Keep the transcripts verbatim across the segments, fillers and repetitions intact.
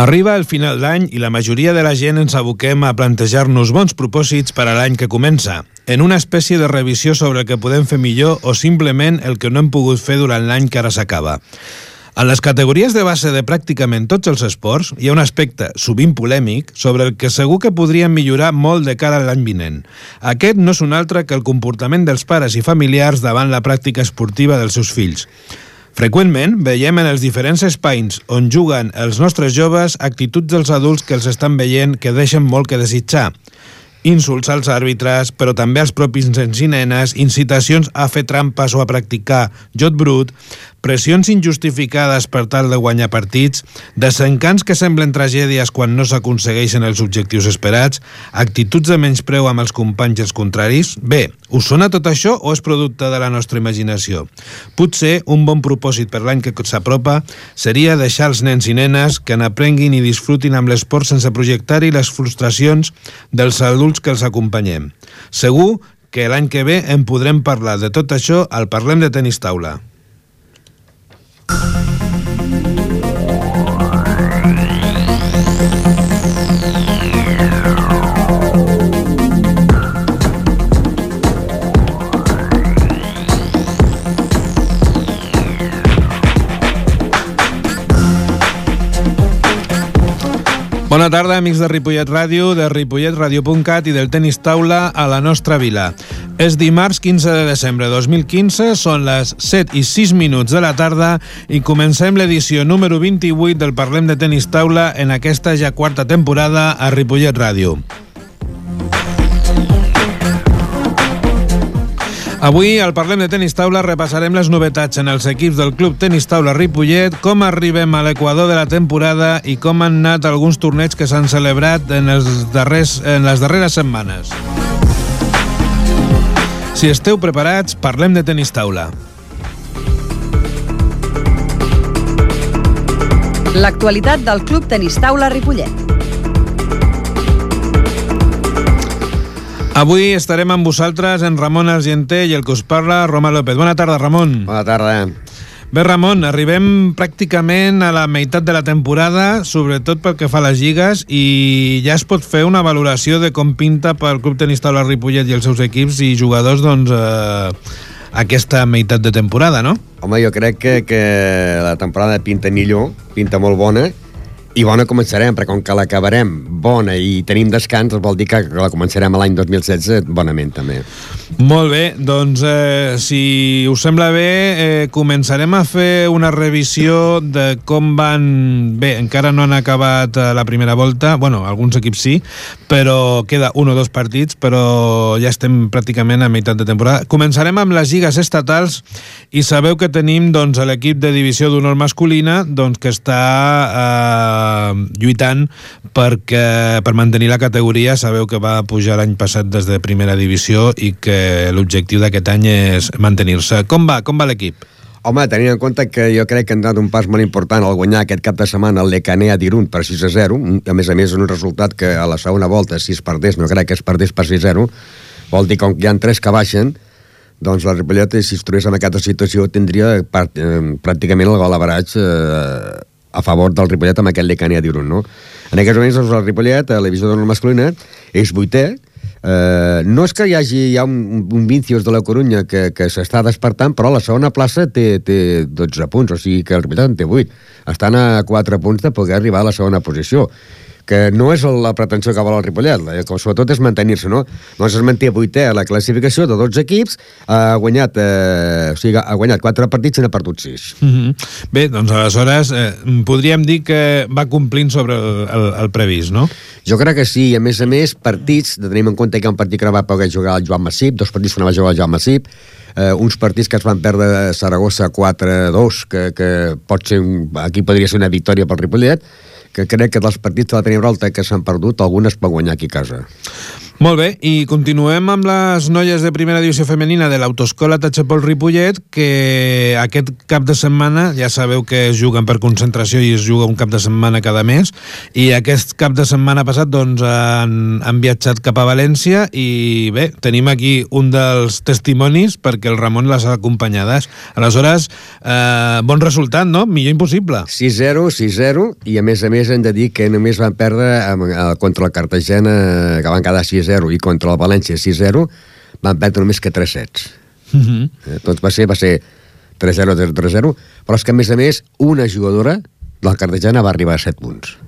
Arriba el final d'any i la majoria de la gent ens aboquem a plantejar-nos bons propòsits per a l'any que comença, en una espècie de revisió sobre el que podem fer millor o simplement el que no hem pogut fer durant l'any que ara s'acaba. En les categories de base de pràcticament tots els esports hi ha un aspecte, sovint polèmic, sobre el que segur que podríem millorar molt de cara a l'any vinent. Aquest no és un altre que el comportament dels pares i familiars davant la pràctica esportiva dels seus fills. Freqüentment veiem en els diferents espais on juguen els nostres joves actituds dels adults que els estan veient que deixen molt que desitjar. Insults als àrbitres, però també als propis nens i nenes, incitacions a fer trampes o a practicar joc brut, pressions injustificades per tal de guanyar partits, desencants que semblen tragèdies quan no s'aconsegueixen els objectius esperats, actituds de menyspreu amb els companys i els contraris. Bé, us sona tot això o és producte de la nostra imaginació? Potser un bon propòsit per l'any que s'apropa seria deixar els nens i nenes que n'aprenguin i disfrutin amb l'esport sense projectar-hi les frustracions dels adults que els acompanyem. Segur que l'any que ve en podrem parlar de tot això al Parlem de Tenis Taula. Bona tarda, amics de Ripollet Ràdio, de ripollet ràdio punt cat i del Tenis Taula a la nostra vila. És dimarts quinze de desembre de dos mil quinze, són les set i sis minuts de la tarda i comencem l'edició número vint-i-vuit del Parlem de Tenis Taula en aquesta ja quarta temporada a Ripollet Ràdio. Avui, al Parlem de Tenis Taula, repassarem les novetats en els equips del Club Tenis Taula Ripollet, com arribem a l'equador de la temporada i com han anat alguns torneigs que s'han celebrat en, els darrers, en les darreres setmanes. Si esteu preparats, parlem de Tenis Taula. L'actualitat del Club Tenis Taula Ripollet. Avui estarem amb vosaltres en Ramon Argenter i el que us parla, Romà López. Bona tarda, Ramon. Bona tarda. Bé, Ramon, arribem pràcticament a la meitat de la temporada, sobretot pel que fa a les lligues, i ja es pot fer una valoració de com pinta pel Club Tenis Taula Ripollet i els seus equips i jugadors, doncs, eh, aquesta meitat de temporada, no? Home, jo crec que, que la temporada pinta millor, pinta molt bona, i bona començarem, perquè com que l'acabarem bona i tenim descans, vol dir que la començarem a l'any dos mil setze bonament, també. Molt bé, doncs, eh, si us sembla bé, eh, començarem a fer una revisió de com van... Bé, encara no han acabat la primera volta, bueno, alguns equips sí, però queda un o dos partits, però ja estem pràcticament a meitat de temporada. Començarem amb les lligues estatals i sabeu que tenim, doncs, l'equip de divisió d'honor masculina, doncs, que està... Eh, lluitant perquè, per mantenir la categoria. Sabeu que va pujar l'any passat des de primera divisió i que l'objectiu d'aquest any és mantenir-se. Com va? Com va l'equip? Home, tenint en compte que jo crec que han donat un pas molt important al guanyar aquest cap de setmana el Lecanea d'Irún per sis a zero, a més a més un resultat que a la segona volta, si es perdés, no crec que es perdés per sis a zero, vol dir que com hi ha tres que baixen, doncs la Ripollet, si es trobés en aquesta situació, tindria pràcticament el gol average eh, a favor del Ripollet amb aquest Lecanea d'Irún, no? En aquests moments, doncs, el Ripollet, a la divisió d'honor masculina, és vuitè. Eh, no és que hi hagi hi ha un, un Vincios de la Corunya que, que s'està despertant, però la segona plaça té, té dotze punts, o sigui que el Ripollet en té vuit. Estan a quatre punts de poder arribar a la segona posició, que no és la pretensió que vol el Ripollet, que sobretot és mantenir-se, no? Doncs es manté vuitè a la classificació de dotze equips, ha guanyat, eh, o sigui, ha guanyat quatre partits i n'ha perdut sis. Mm-hmm. Bé, doncs aleshores eh, podríem dir que va complint sobre el, el, el previst, no? Jo crec que sí, i a més a més, partits, tenim en compte que hi ha un partit que no va poder jugar el Joan Massip, dos partits que no va jugar el Joan Massip, eh, uns partits que es van perdre a Saragossa quatre a dos, que, que pot ser un, aquí podria ser una victòria pel Ripollet, que crec que dels partits de la primera volta que s'han perdut, algunes per guanyar aquí a casa. Molt bé, i continuem amb les noies de primera divisió femenina de l'Autoescola Tachepol Ripollet, que aquest cap de setmana, ja sabeu que es juguen per concentració i es juga un cap de setmana cada mes, i aquest cap de setmana passat doncs, han, han viatjat cap a València i bé, tenim aquí un dels testimonis perquè el Ramon les ha acompanyades. Aleshores, eh, bon resultat, no? Millor impossible. sis zero, sis zero, i a més a més hem de dir que només van perdre eh, contra el Cartagena, que van quedar sis zero, i contra el València sis zero, van perdre només que tres sets. Uh-huh. eh, doncs va ser, va ser tres zero, tres zero, però és que a més a més una jugadora del Cartagena va arribar a set punts.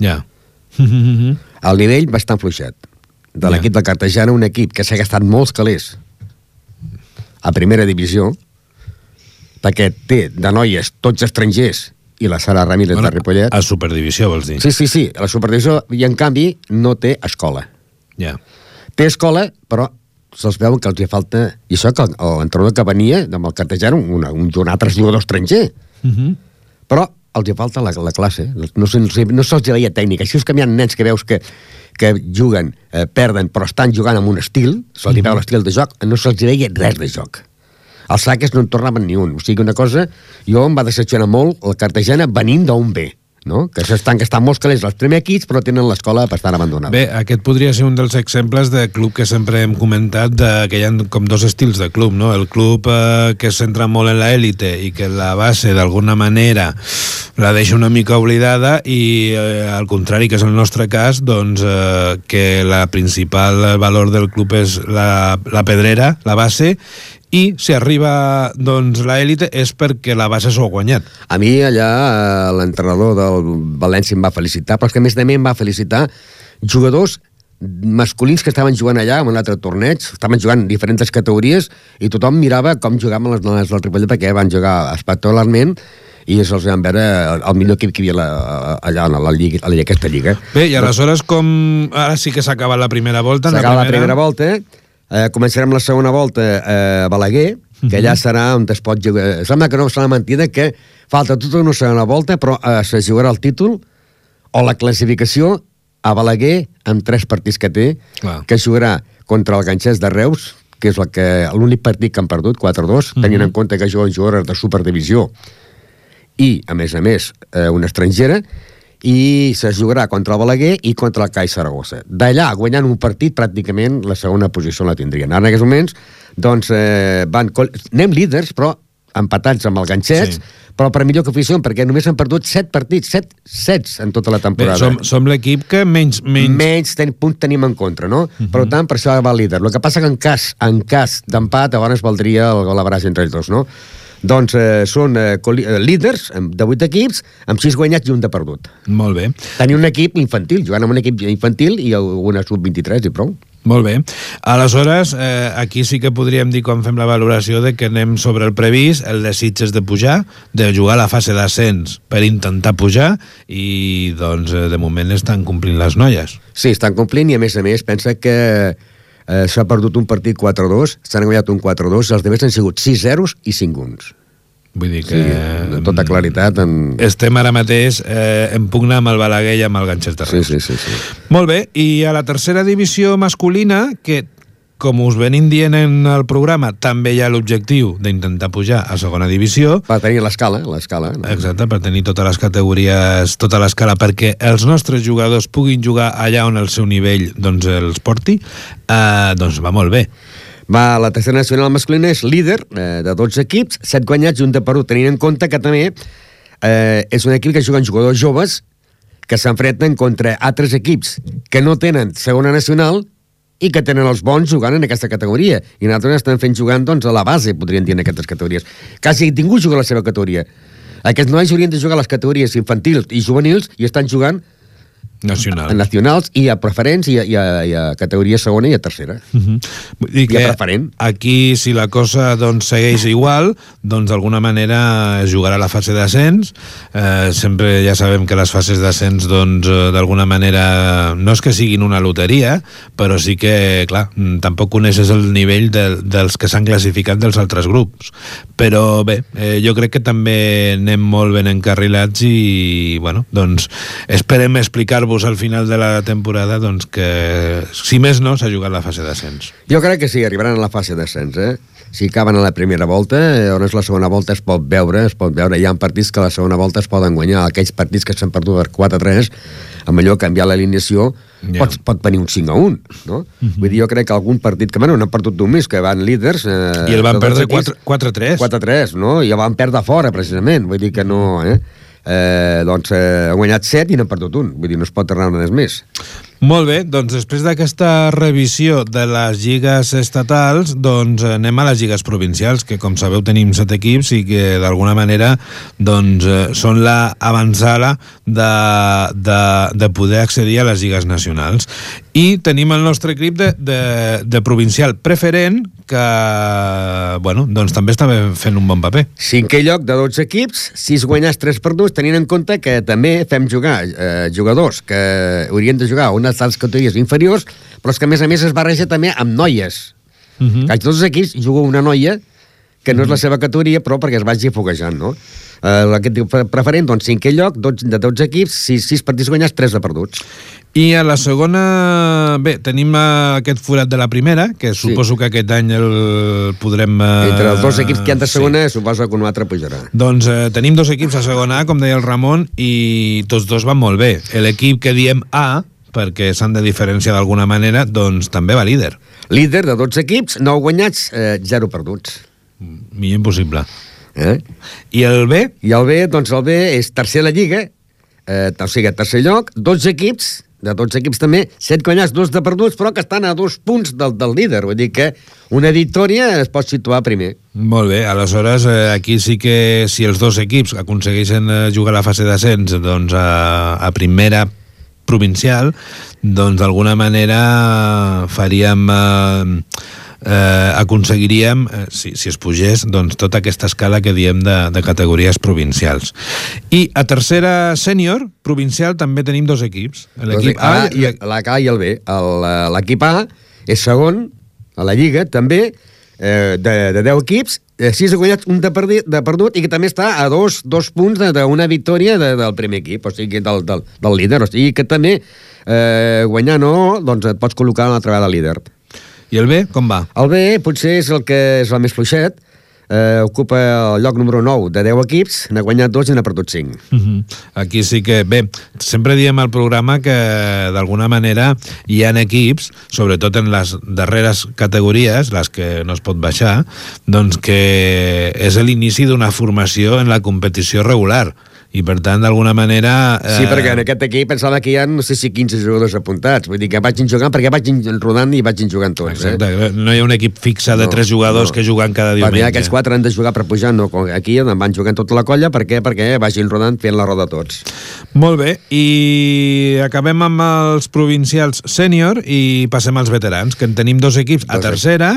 Ja. Uh-huh. El nivell bastant fluixet. De yeah. l'equip del Cartagena, un equip que s'ha gastat molts calés a primera divisió, perquè té de noies tots estrangers, i la Sara Ramírez bueno, de Ripollet. A Superdivisió, vols dir? Sí, sí, sí, a la Superdivisió, i en canvi no té escola. Ja. Yeah. Té escola, però se'ls veu que els hi falta... I això que l'entrenador que venia amb el Cartagena, un, un, un altre jugador estranger. Uh-huh. Però els hi falta la, la classe. No, se, no se'ls veia tècnica. Així és que hi ha nens que veus que, que juguen, eh, perden, però estan jugant amb un estil, se'ls uh-huh. veu l'estil de joc, no se'ls veia res de joc. Els saques no en tornaven ni un. O sigui, una cosa, jo em va decepcionar molt el Cartagena venint d'on ve, no? Que s'estan gastant molts calés els primers equips, però tenen l'escola bastant abandonada. Bé, aquest podria ser un dels exemples de club que sempre hem comentat, de, que hi ha com dos estils de club, no? El club eh, que es centra molt en l'élite i que la base, d'alguna manera, la deixa una mica oblidada, i eh, al contrari, que és el nostre cas, doncs eh, que la principal valor del club és la, la pedrera, la base, i si arriba doncs l'élite és perquè la base s'ho ha guanyat. A mi allà eh, l'entrenador del València em va felicitar, però és que a més també em va felicitar jugadors masculins que estaven jugant allà en un altre torneig, estaven jugant en diferents categories i tothom mirava com jugaven les dones del Ripollet, perquè van jugar espectacularment i se'ls van veure el millor equip que hi havia allà a la lliga, a la, aquesta lliga. Bé, i aleshores com... Ara sí que s'ha acabat la primera volta. S'ha acabat la primera volta. Eh, començarem la segona volta a Balaguer, que uh-huh. allà serà on es pot jugar. Sembla que no serà mentida, que falta tota una segona volta, però eh, se jugarà el títol o la classificació a Balaguer amb tres partits que té, wow. que jugarà contra el Ganxès de Reus, que és l'únic partit que han perdut, quatre dos, uh-huh. tenint en compte que juguen jugadors de Superdivisió i, a més a més, eh, una estrangera, i se jugarà contra el Balaguer i contra el C A I Saragossa. D'allà, guanyant un partit, pràcticament la segona posició la tindrien. Ara, en aquests moments, doncs, eh, van... anem líders, però empatats amb el Ganxets, sí. però per millor que afició, perquè només han perdut set partits, set sets en tota la temporada. Bé, som, som l'equip que menys... Menys, menys ten, punt tenim en contra, no? Uh-huh. Per tant, per això va líder. El que passa que en cas, en cas d'empat, llavors valdria el gol a braç entre ells dos, no? Doncs eh, són eh, líders de vuit equips, amb sis guanyats i un de perdut. Molt bé. Tenir un equip infantil, jugant amb un equip infantil i una sub vint-i-tres i prou. Molt bé. Aleshores, eh, aquí sí que podríem dir, quan fem la valoració, de que anem sobre el previst, el desig és de pujar, de jugar a la fase d'ascens per intentar pujar, i doncs eh, de moment estan complint les noies. Sí, estan complint, i a més a més pensa que Eh, s'ha perdut un partit quatre dos, s'han guanyat un quatre dos, els demés han sigut sis zeros i cinc uns. Vull dir que... Sí, de tota claritat... En... Estem ara mateix eh, en pugna amb el Balaguer i amb el Ganxes de Reus. Sí, sí, sí, sí. Molt bé, i a la tercera divisió masculina, que, com us venim dient en el programa, també hi ha l'objectiu d'intentar pujar a segona divisió. Per tenir l'escala, l'escala. No? Exacte, per tenir totes les categories, tota l'escala, perquè els nostres jugadors puguin jugar allà on el seu nivell doncs, els porti, eh, doncs va molt bé. Va, la tercera nacional masculina és líder eh, de dotze equips, set guanyats i un de perdut, tenint en compte que també eh, és un equip que juguen jugadors joves que s'enfrenten contra altres equips que no tenen segona nacional i que tenen els bons jugant en aquesta categoria. I nosaltres estem fent jugant doncs, a la base, podrien dir, en aquestes categories. Quasi ningú juga a la seva categoria. Aquests nois haurien de jugar a les categories infantils i juvenils i estan jugant nacionals, a nacionals i a preferents i a, i a, i a categoria segona i a tercera. Uh-huh. Vull dir que I a preferent. Aquí, si la cosa doncs, segueix igual, doncs d'alguna manera jugarà la fase d'ascens. Eh, sempre ja sabem que les fases d'ascens doncs, d'alguna manera no és que siguin una loteria, però sí que, clar, tampoc coneixes el nivell de, dels que s'han classificat dels altres grups. Però bé, eh, jo crec que també anem molt ben encarrilats i, bueno, doncs esperem explicar imaginar-vos al final de la temporada doncs que, si més no, s'ha jugat la fase d'ascens. Jo crec que sí, arribaran a la fase d'ascens, eh? Si acaben a la primera volta, llavors la segona volta es pot veure, es pot veure. Hi ha partits que a la segona volta es poden guanyar. Aquells partits que s'han perdut per quatre a tres, amb allò canviar l'alineació, yeah. pot, pot venir un cinc a un, no? Uh-huh. Vull dir, jo crec que algun partit que, bueno, no han perdut d'un mes, que van líders... Eh, I el van perdre quatre a tres. quatre a tres, no? I el van perdre fora, precisament. Vull dir que no, eh? Eh, doncs eh, ha guanyat set i n'ha perdut un. Vull dir, no es pot tornar un més. Molt bé, doncs després d'aquesta revisió de les lligues estatals, doncs anem a les lligues provincials, que com sabeu tenim set equips i que d'alguna manera doncs són la avançada de, de, de poder accedir a les lligues nacionals. I tenim el nostre equip de, de, de provincial preferent, que bueno, doncs també està fent un bon paper. Cinquè lloc de dotze equips, sis guanyats, tres perduts, tenint en compte que també fem jugar eh, jugadors que haurien de jugar a unes altres categories inferiors, però és que a més a més es barreja també amb noies. Uh-huh. Que tots els equips juga una noia que no és la seva categoria, però perquè es vagi foguejant, no? Uh, aquest preferent, doncs, cinquè lloc, de dotze equips, sis, sis partits guanyats, tres de perduts. I a la segona, bé, tenim aquest forat de la primera, que suposo sí. que aquest any el podrem... Uh, Entre els dos equips que hi ha de segona, sí. suposo que un altre pujarà. Doncs uh, tenim dos equips a segona A, com deia el Ramon, i tots dos van molt bé. L'equip que diem A, perquè s'han de diferenciar d'alguna manera, doncs també va líder. Líder de dotze equips, nou guanyats, eh, zero perduts. Millor impossible. Eh? I el B? I el B, doncs el B és tercer a la Lliga, eh, o sigui, tercer lloc, dotze equips, de dotze equips també, set guanyats, dos de perduts, però que estan a dos punts del, del líder, vull dir que una victòria es pot situar primer. Molt bé, aleshores eh, aquí sí que si els dos equips aconsegueixen eh, jugar a la fase d'ascens doncs a, a primera provincial, doncs d'alguna manera faríem... Eh, Eh, aconseguiríem, eh, si, si es pugés, doncs tota aquesta escala que diem de, de categories provincials. I a tercera sènior provincial també tenim dos equips, l'equip A, A i l'A i el B. L'equip A és segon a la Lliga, també, eh, de, de deu equips, eh, sis guanyats, un de, perdi, de perdut, i que també està a dos, dos punts d'una victòria de, del primer equip, o sigui, del, del, del líder, o sigui que també eh, guanyant o no, doncs et pots col·locar una altra vegada líder. I el B, com va? El B potser és el que és el més fluixet, eh, ocupa el lloc número nou de deu equips, n'ha guanyat dos i n'ha perdut cinc. Uh-huh. Aquí sí que, bé, sempre diem al programa que d'alguna manera hi ha equips, sobretot en les darreres categories, les que no es pot baixar, doncs que és l'inici d'una formació en la competició regular. I per tant, d'alguna manera... Eh... Sí, perquè en aquest equip pensava que hi ha, no sé si quinze jugadors apuntats. Vull dir que vagin jugant, perquè vagin rodant i vagin jugant tots. Exacte, eh? No hi ha un equip fixe de no, tres jugadors no. que juguen cada diumenge. Per mi aquests quatre han de jugar per pujar, no? Aquí van jugant tota la colla, per què? Perquè vagin rodant fent la roda tots. Molt bé, i acabem amb els provincials sènior i passem als veterans, que en tenim dos equips a tercera,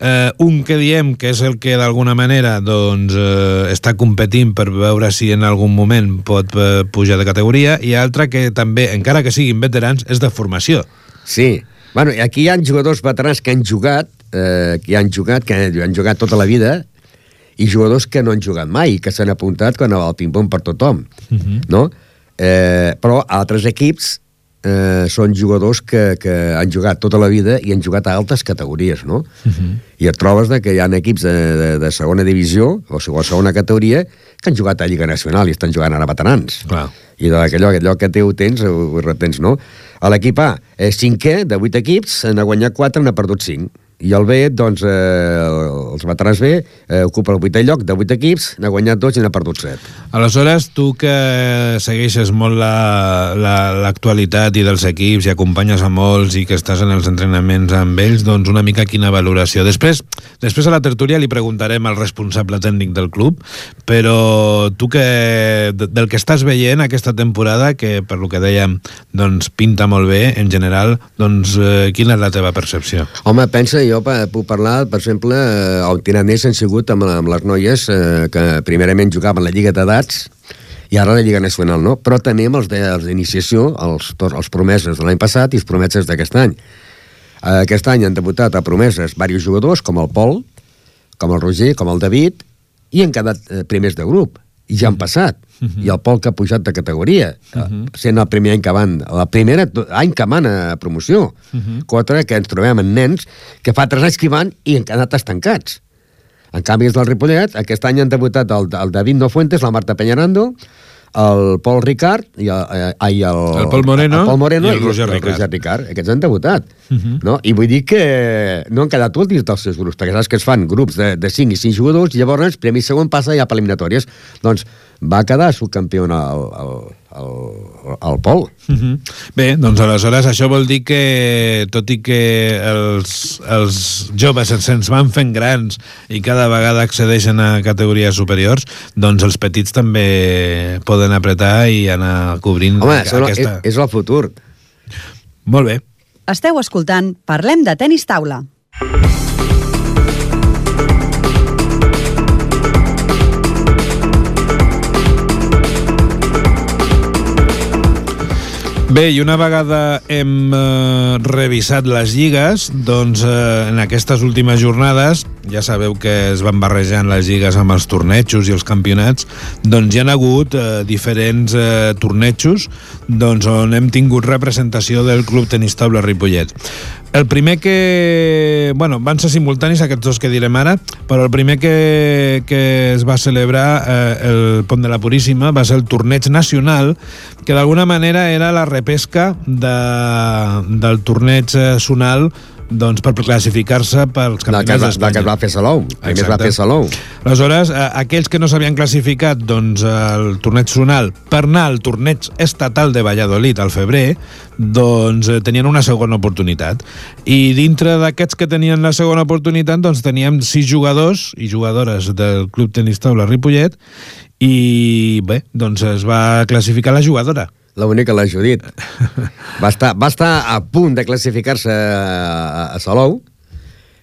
eh, un que diem que és el que d'alguna manera doncs, eh, està competint per veure si en algun moment pot eh, pujar de categoria, i altre que també, encara que siguin veterans, és de formació. Sí, bueno, aquí hi ha jugadors veterans que han jugat, eh, que han jugat, que han jugat tota la vida, i jugadors que no han jugat mai, que s'han apuntat quan el ping-pong per tothom, uh-huh. no? Eh, però altres equips eh, són jugadors que, que han jugat tota la vida i han jugat a altes categories, no? Uh-huh. I et trobes de que hi ha equips de, de, de segona divisió o segona categoria que han jugat a Lliga Nacional i estan jugant ara veterans. Clar. I d'aquell lloc, lloc que teu tens, ho, ho retens, no? A l'equip A és cinquè de vuit equips, n'ha guanyat quatre, n'ha perdut cinc. I el B, doncs, eh, els veterans B, eh, ocupa el vuitè lloc de vuit equips, n'ha guanyat dos i n'ha perdut set. Aleshores, tu que segueixes molt l'actualitat la, la, i dels equips i acompanyes a molts i que estàs en els entrenaments amb ells, doncs una mica quina valoració. Després, després a la tertúlia li preguntarem al responsable tècnic del club, però tu que del que estàs veient aquesta temporada, que per lo que dèiem, doncs pinta molt bé, en general, doncs eh, quina és la teva percepció? Home, pensa, jo puc parlar, per exemple, el Tiranès han sigut amb, amb les noies eh, que primerament jugaven la Lliga d'Edats i ara la Lliga Nacional, no? Però també amb els d'iniciació, els, els promeses de l'any passat i els promeses d'aquest any. Eh, aquest any han debutat a promeses diversos jugadors, com el Pol, com el Roger, com el David, i han quedat eh, primers de grup. ja han passat. Uh-huh. I el Pol que ha pujat de categoria, uh-huh. sent el primer any que van, el primer any que van a promoció. Uh-huh. Quatre que ens trobem en nens que fa tres anys que hi van i han quedat estancats. En canvi, és del Ripollet, aquest any han debutat el, el David Nofuentes, la Marta Peñarando, el Pol Ricard i el, eh, el, el Pol Moreno, el Pol Moreno i el Roger, i el, Ricard. el Roger Ricard. Aquests han debutat. Uh-huh. No? I vull dir que no han quedat últims dels seus grups, perquè saps que es fan grups de, de cinc i cinc jugadors i llavors primer i segon passa ja per eliminatòries. Doncs va quedar subcampió el, el, el, el Pol. Uh-huh. Bé, doncs aleshores això vol dir que, tot i que els, els joves se'ns van fent grans i cada vegada accedeixen a categories superiors, doncs els petits també poden apretar i anar cobrint. Home, aquesta... és, és el futur. Molt bé. Esteu escoltant Parlem de Tenis Taula. Bé, i una vegada hem eh, revisat les lligues, doncs eh, en aquestes últimes jornades, ja sabeu que es van barrejant les lligues amb els tornejos i els campionats, doncs hi ha hagut eh, diferents eh, tornejos doncs, on hem tingut representació del Club Tenis Taula Ripollet. El primer que... Bueno, van ser simultanis aquests dos que direm ara, però el primer que, que es va celebrar eh, el Pont de la Puríssima va ser el torneig nacional, que d'alguna manera era la repesca de, del torneig zonal doncs, per classificar-se pels campionats d'Espanya. La que es va fer Salou. Primer es va fer Salou. Aleshores, aquells que no s'havien classificat doncs, al torneig zonal per anar al torneig estatal de Valladolid al febrer, doncs tenien una segona oportunitat. I dintre d'aquests que tenien la segona oportunitat, doncs teníem sis jugadors i jugadores del Club Tenis Taula Ripollet i bé, doncs es va classificar la jugadora. L'única l'ha Judit. Va estar, va estar a punt de classificar-se a, a Salou,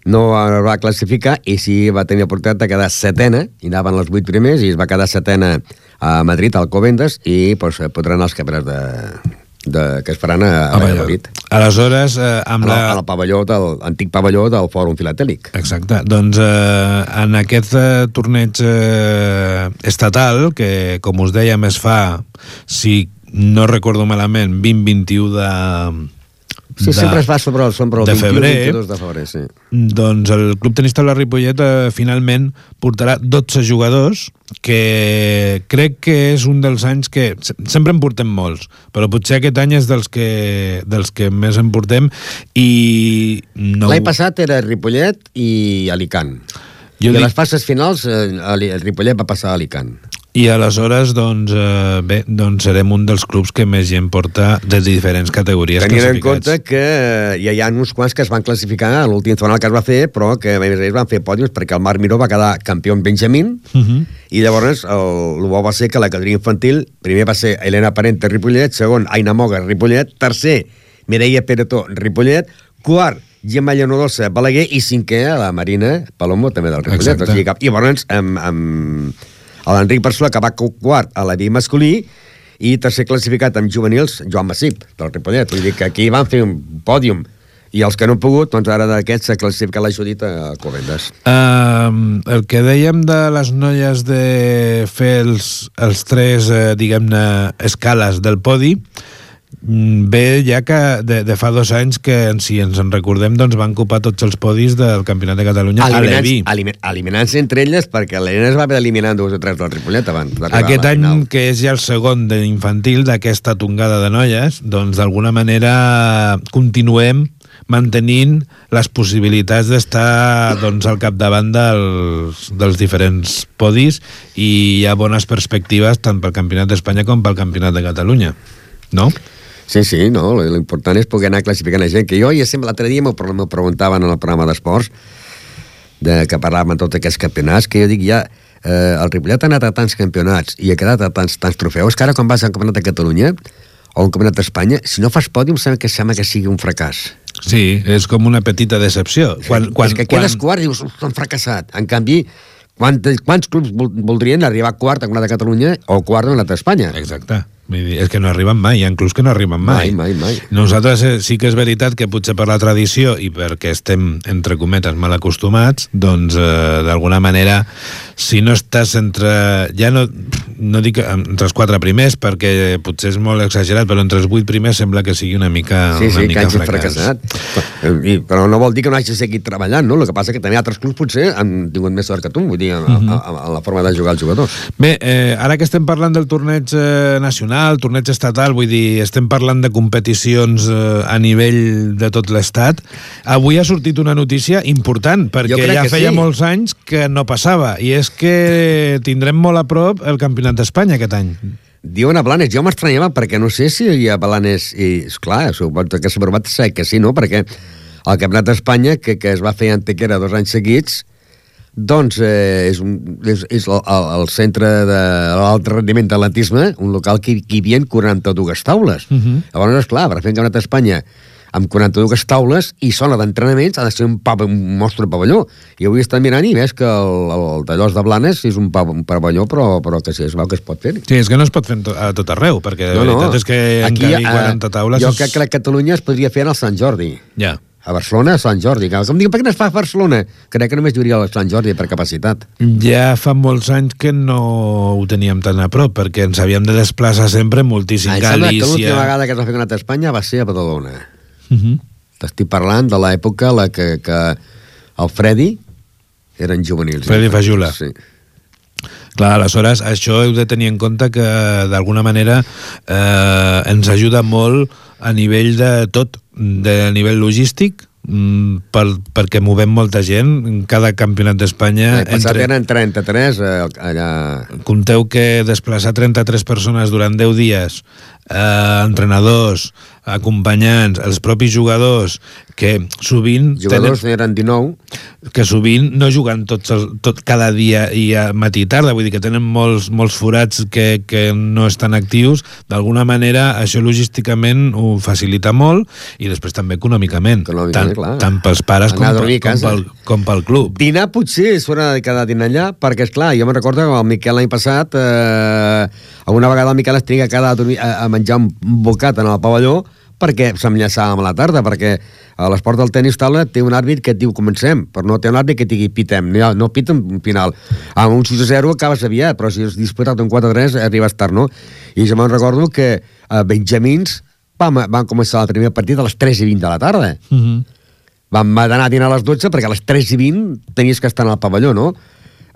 no va classificar i sí va tenir oportunitat de quedar setena, i anaven els vuit primers, i es va quedar setena a Madrid, al Alcobendas, i pues, podran anar als campionats de, de, que es faran a, a Valladolid. Aleshores, eh, amb la... Al pavelló del, antic pavelló del Fòrum Filatèlic. Exacte. Doncs eh, en aquest eh, torneig eh, estatal, que com us dèiem es fa, si no recordo malament, vint vint-i-u de... Sí, de, sempre es va sobre el, sobre el de vint-i-u febrer, vint-i-dos de febrer, sí. Doncs el Club Tenis Taula Ripollet eh, finalment portarà dotze jugadors, que crec que és un dels anys que... Sempre en portem molts, però potser aquest any és dels que, dels que més en portem i... No... L'any passat era Ripollet i Alicant. Jo I dic... a les fases finals el Ripollet va passar a Alicant. I aleshores, doncs, eh, bé, doncs serem un dels clubs que més gent porta des de diferents categories Tenint classificats. en compte que ja hi ha uns quants que es van classificar a l'últim zonal que es va fer, però que a més a més van fer pòdiums perquè el Marc Miró va quedar campió en Benjamín, uh -huh. i llavors el, el bo va ser que la categoria infantil primer va ser Helena Parente Ripollet, segon Aina Moga Ripollet, tercer Mireia Peretó Ripollet, quart Gemma Llanodolça Balaguer i cinquè la Marina Palomo també del Ripollet. O sigui, i llavors amb... amb l'Enric Barceló, que va quart a la B masculí, i tercer classificat amb juvenils, Joan Massip, del Ripollet. Vull dir que aquí van fer un pòdium, i els que no han pogut, doncs ara d'aquests s'ha classificat la Judit a Alcobendas. Uh, el que dèiem de les noies de fer els, els tres, eh, diguem-ne, escales del podi, bé, ja que de, de fa dos anys que, si ens en recordem, doncs van ocupar tots els podis del Campionat de Catalunya a l'E V I. Eliminant-se entre elles, perquè l'Helena es va haver eliminant dos o tres del Ripollet abans. Aquest any, que és ja el segon d'infantil d'aquesta tongada de noies, doncs d'alguna manera continuem mantenint les possibilitats d'estar doncs, al capdavant dels, dels diferents podis, i hi ha bones perspectives tant pel Campionat d'Espanya com pel Campionat de Catalunya, no? Sí, sí, no, l'important és poder anar classificant la gent, que jo ja sempre l'altre dia m'ho preguntaven en el programa d'esports, de, que parlàvem en tots aquests campionats, que jo dic ja, eh, el Ripollet ha anat a tants campionats i ha quedat a tants, tants trofeus, que ara quan vas al Campionat de Catalunya o un Campionat d'Espanya, si no fas pòdium sembla que sembla que sigui un fracàs. Sí, és com una petita decepció. Quan, quan, és que quedes quan... quart i dius, han fracassat. En canvi, quants, quants clubs voldrien arribar quart al Campionat de Catalunya o quart al Campionat d'Espanya? Exacte. És que no arriben mai, hi ha clubs que no arriben mai. Mai, mai, mai. Nosaltres eh, sí que és veritat que potser per la tradició i perquè estem, entre cometes, mal acostumats, doncs eh, d'alguna manera, si no estàs entre... ja no... no dic entre els quatre primers, perquè potser és molt exagerat, però entre els vuit primers sembla que sigui una mica, sí, sí, una mica que hagi fracàs. fracassat. I, però no vol dir que no hagi seguit treballant, no? El que passa que també altres clubs potser han tingut més sort que tu, vull dir, a, a, a, a la forma de jugar els jugadors. Bé, eh, ara que estem parlant del torneig eh, nacional, torneig estatal, vull dir, estem parlant de competicions eh, a nivell de tot l'estat, avui ha sortit una notícia important, perquè ja feia sí. molts anys que no passava, i és que tindrem molt a prop el Campionat d'Espanya aquest any. Diuen a Blanes, jo m'estranyava perquè no sé si hi ha Blanes, i esclar, suposo que s'ha provat sé que sí, no? Perquè el Campionat d'Espanya, que, que es va fer a Antequera dos anys seguits, doncs eh, és, un, és, és el, el centre de l'alt rendiment d'atletisme, un local que, que hi havia quaranta-dues taules. Uh -huh. Llavors, esclar, per fer el Campionat d'Espanya amb quaranta-dues taules i zona d'entrenaments ha de ser un, pava, un monstre pavelló. I avui estan mirant i ves que el, el d'Allòs de Blanes és un, un pavelló, però, però que sí, es veu que es pot fer. Sí, és que no es pot fer a tot arreu, perquè no, la veritat no. és que aquí, encara hi quaranta taules... Jo és... crec que a Catalunya es podria fer al Sant Jordi. Ja. A Barcelona, a Sant Jordi. Com dic, per què no es fa a Barcelona? Crec que només hi hauria el Sant Jordi per capacitat. Ja fa molts anys que no ho teníem tan a prop, perquè ens havíem de desplaçar sempre moltíssim. Em Galícia... sembla que l'última vegada que es va fer Campionat d'Espanya va ser a Badalona. Uh -huh. T'estic parlant de l'època la que, que el Freddy eren juvenils. Freddy Fajula. Sí. Clar, aleshores, això heu de tenir en compte que, d'alguna manera, eh, ens ajuda molt a nivell de tot, de a nivell logístic, per, perquè movem molta gent. Cada campionat d'Espanya... L'any passat entre... eren trenta-tres, eh, allà... Compteu que desplaçar trenta-tres persones durant deu dies, eh, entrenadors, acompanyants, els propis jugadors, que sovint... Jugadors tenen, eren dinou. Que sovint no juguen tots el, tot cada dia i a matí i tarda, vull dir que tenen molts, molts forats que, que no estan actius. D'alguna manera, això logísticament ho facilita molt, i després també econòmicament. Econòmicament, tant, clar. tant pels pares com, per, com, pel, com pel club. Dinar potser és hora de quedar dinar allà, perquè, esclar, jo me'n recordo que el Miquel l'any passat, eh, alguna vegada el Miquel es tenia que quedar a, dormir, a, a menjar un bocat en el pavelló, perquè s'enllaçàvem a la tarda, perquè a l'esport del tenis taula té un àrbit que et diu comencem, però no té un àrbit que et digui pitem, no, no pita un final. Amb un sis a zero acabes aviat, però si has disputat un quatre a tres arribes tard, no? I jo me'n recordo que a Benjamins van, van començar el primer partit a les tres i vint de la tarda. Uh -huh. Vam anar a dinar a les dotze perquè a les tres i vint tenies que estar en el pavelló, no?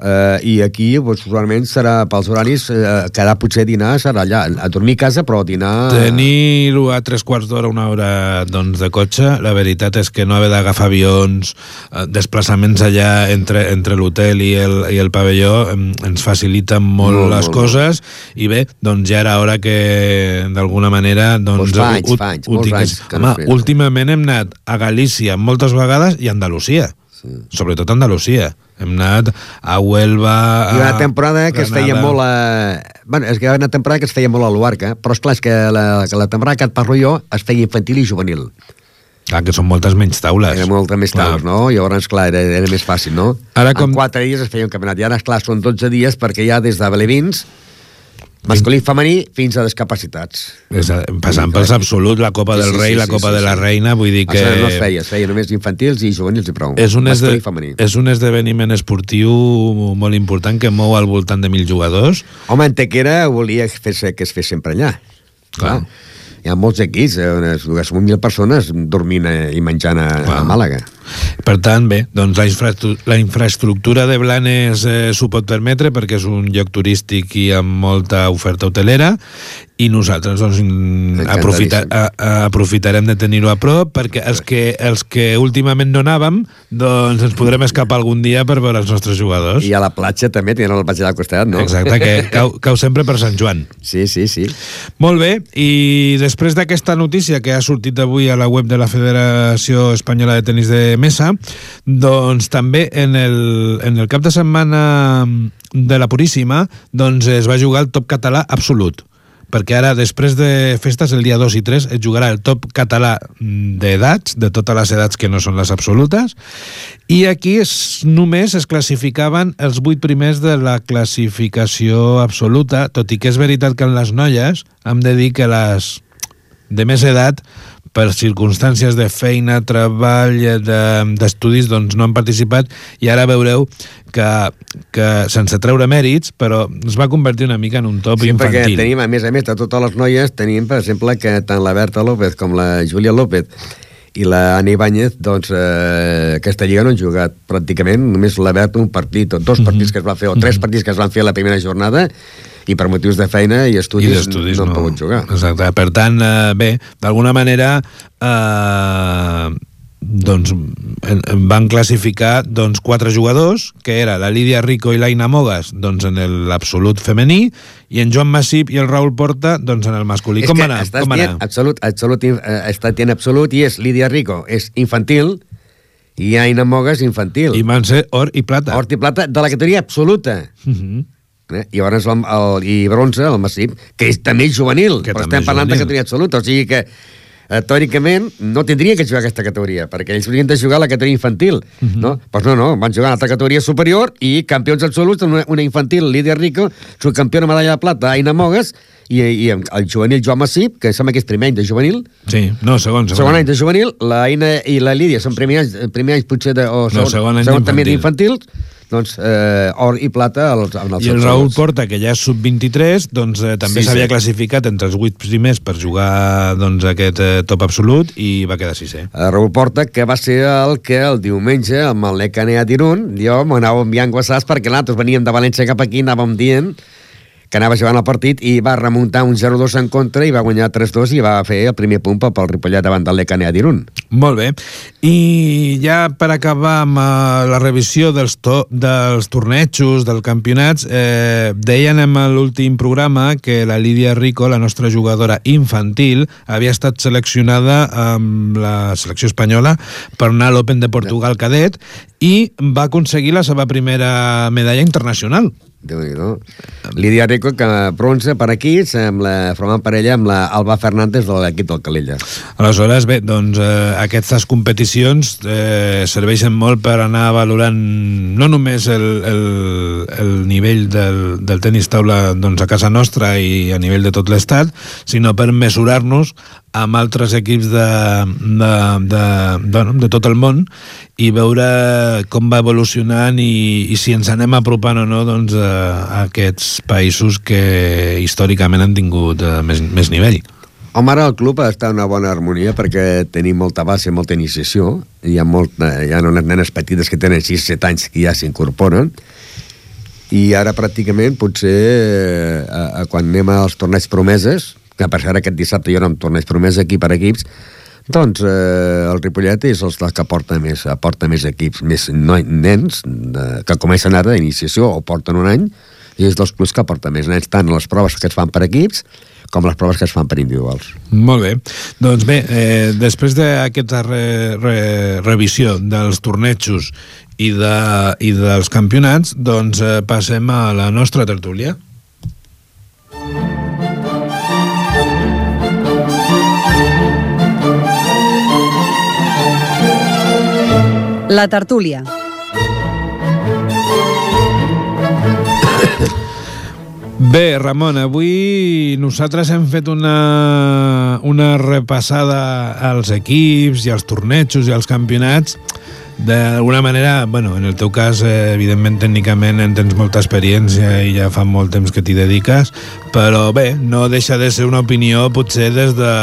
Uh, i aquí, doncs, usualment serà pels horaris, uh, quedar potser dinar serà allà, a dormir a casa, però dinar... Tenir-ho a tres quarts d'hora, una hora, doncs, de cotxe, la veritat és que no haver d'agafar avions, uh, desplaçaments allà entre, entre l'hotel i, el, i el pavelló, um, ens faciliten molt, molt les molt, coses, molt. I bé, doncs ja era hora que, d'alguna manera, doncs... Pues fa anys, ho, fa anys, ho, molts ho anys. Que home, no últimament hem anat a Galícia moltes vegades i a Andalusia. Sí. Sobretot a Andalusia. Hem anat a Huelva... Hi va una temporada que Granada. Es feia molt a... Bueno, és que hi va una temporada que es feia molt a Luarca, però esclar, és que la, que la temporada que et parlo jo es feia infantil i juvenil. Clar, que són moltes menys taules. Era moltes més taules, no? I llavors, clar, era, era més fàcil, no? Ara com... En quatre dies es feia un campionat. I ara, esclar, són dotze dies perquè ja des de Belevins, masculí i femení, fins a discapacitats. Passant pels absoluts, la Copa del sí, sí, Rei, sí, la Copa sí, sí, de la sí. Reina, vull dir que... Això no es feia, es feia només infantils i juvenils i prou. És un, esde... és un esdeveniment esportiu molt important que mou al voltant de mil jugadors. Home, Antequera volia fer que es fes sempre allà. Clar. Clar. Hi ha molts equips, eh, som mil persones dormint i menjant a, a Màlaga. Per tant, bé, doncs la, infra la infraestructura de Blanes eh, s'ho pot permetre perquè és un lloc turístic i amb molta oferta hotelera, i nosaltres doncs, aprofita a, a, aprofitarem de tenir-ho a prop perquè els que, els que últimament no anàvem doncs ens podrem escapar algun dia per veure els nostres jugadors. I a la platja també, tenen la platja al costat, no? Exacte, que cau, cau sempre per Sant Joan. Sí, sí, sí. Molt bé, i després d'aquesta notícia que ha sortit avui a la web de la Federació Espanyola de Tenis de Mesa, doncs també en el, en el cap de setmana de la Puríssima doncs es va jugar el top català absolut, perquè ara, després de festes, el dia dos i tres, es jugarà el top català d'edats, de totes les edats que no són les absolutes, i aquí es, només es classificaven els vuit primers de la classificació absoluta, tot i que és veritat que en les noies hem de dir que les de més edat per circumstàncies de feina, treball, d'estudis, doncs no han participat, i ara veureu que, que sense treure mèrits, però es va convertir una mica en un top sí, infantil. Sí, perquè tenim, a més a més, de totes les noies, tenim, per exemple, que tant la Berta López com la Júlia López i la Ana Ibáñez, doncs, eh, aquesta lliga no han jugat pràcticament, només la Berta un partit, o dos partits que es van fer, o tres partits que es van fer a la primera jornada, i per motius de feina i estudis, I no han no. pogut jugar. Exacte. Per tant, eh, bé, d'alguna manera eh, doncs en van classificar doncs, quatre jugadors, que era la Lídia Rico i l'Aina Mogas doncs, en l'absolut femení, i en Joan Massip i el Raül Porta doncs, en el masculí. És Com que va anar? estàs Com dient absolut, absolut, eh, està dient absolut, i és Lídia Rico, és infantil, i Aina Mogas infantil. I van ser or i plata. Or i plata de la categoria absoluta. Uh -huh. eh? I llavors el, el, i bronze, el Massip, que és també juvenil, que però estem parlant juvenil. De categoria absoluta, o sigui que Eh, teòricament no tindria que jugar aquesta categoria, perquè ells haurien de jugar a la categoria infantil, uh -huh. no? Doncs no, no, van jugar a una altra categoria superior i campions absoluts, una, una infantil, Lídia Rico, subcampiona medalla de plata, Aina Mogas, i, i el juvenil Joan Massip, que sembla que és primer any de juvenil. Sí, no, segon, segon. Segon any de juvenil, la Aina i la Lídia són primer anys, primer anys potser de... O segon, no, segon any segon també d'infantil. Doncs eh, or i plata als, als I el Raül Porta, que ja és sub vint-i-tres, doncs eh, també sí, s'havia sí. classificat entre els vuit primers per jugar doncs, aquest eh, top absolut i va quedar sisè. El Raül Porta, que va ser el que el diumenge amb el Lecanea d'Irun, jo m'anava enviant WhatsApps perquè nosaltres veníem de València cap aquí, anàvem dient que anava jugant el partit i va remuntar un zero dos en contra i va guanyar tres dos i va fer el primer punt pel Ripollet davant del Lecanea d'Irun. Molt bé. I ja per acabar amb uh, la revisió dels, to dels tornejos, dels campionats, eh, deien en l'últim programa que la Lídia Rico, la nostra jugadora infantil, havia estat seleccionada amb la selecció espanyola per anar a l'Open de Portugal cadet i va aconseguir la seva primera medalla internacional. Déu-n'hi-do. Lídia Rico, que bronze per aquí, amb la, formant parella amb la Alba Fernández de l'equip del Calella. Aleshores, bé, doncs eh, aquestes competicions eh, serveixen molt per anar valorant no només el, el, el nivell del, del tenis taula doncs, a casa nostra i a nivell de tot l'estat, sinó per mesurar-nos amb altres equips de, de, de, de, de tot el món i veure com va evolucionant i, i si ens anem apropant o no doncs, a aquests països que històricament han tingut uh, més, més nivell. Home, ara el club està en una bona harmonia perquè tenim molta base, molta iniciació, hi ha, molt, hi ha unes nenes petites que tenen sis set anys que ja s'incorporen, i ara pràcticament potser a, a, quan anem als torneigs promeses, que per cert aquest dissabte hi haurà un torneig promesa aquí per equips, doncs eh, el Ripollet és el que aporta més, aporta més equips, més no, nens de, que comencen ara d'iniciació o porten un any, i és dels clubs que aporta més nens, tant les proves que es fan per equips com les proves que es fan per individuals. Molt bé. Doncs bé, eh, després d'aquesta re, re, revisió dels tornejos i, de, i dels campionats, doncs eh, passem a la nostra tertúlia. La tertúlia. Bé, Ramon, avui nosaltres hem fet una, una repassada als equips i als tornejos i als campionats. D'alguna manera, bueno, en el teu cas, eh, evidentment, tècnicament en tens molta experiència i ja fa molt temps que t'hi dediques, però bé, no deixa de ser una opinió potser des de,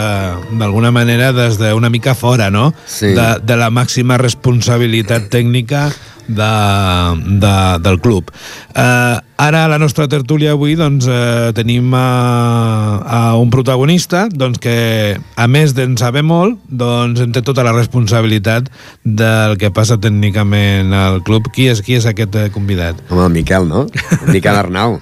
d'alguna manera, des d'una mica fora, no? Sí. De, de la màxima responsabilitat tècnica de, de, del club. Eh, ara, a la nostra tertúlia avui, doncs, eh, tenim a, a un protagonista doncs, que, a més d'en saber molt, doncs, en té tota la responsabilitat del que passa tècnicament al club. Qui és, qui és aquest eh, convidat? Home, el Miquel, no? El Miquel Arnau.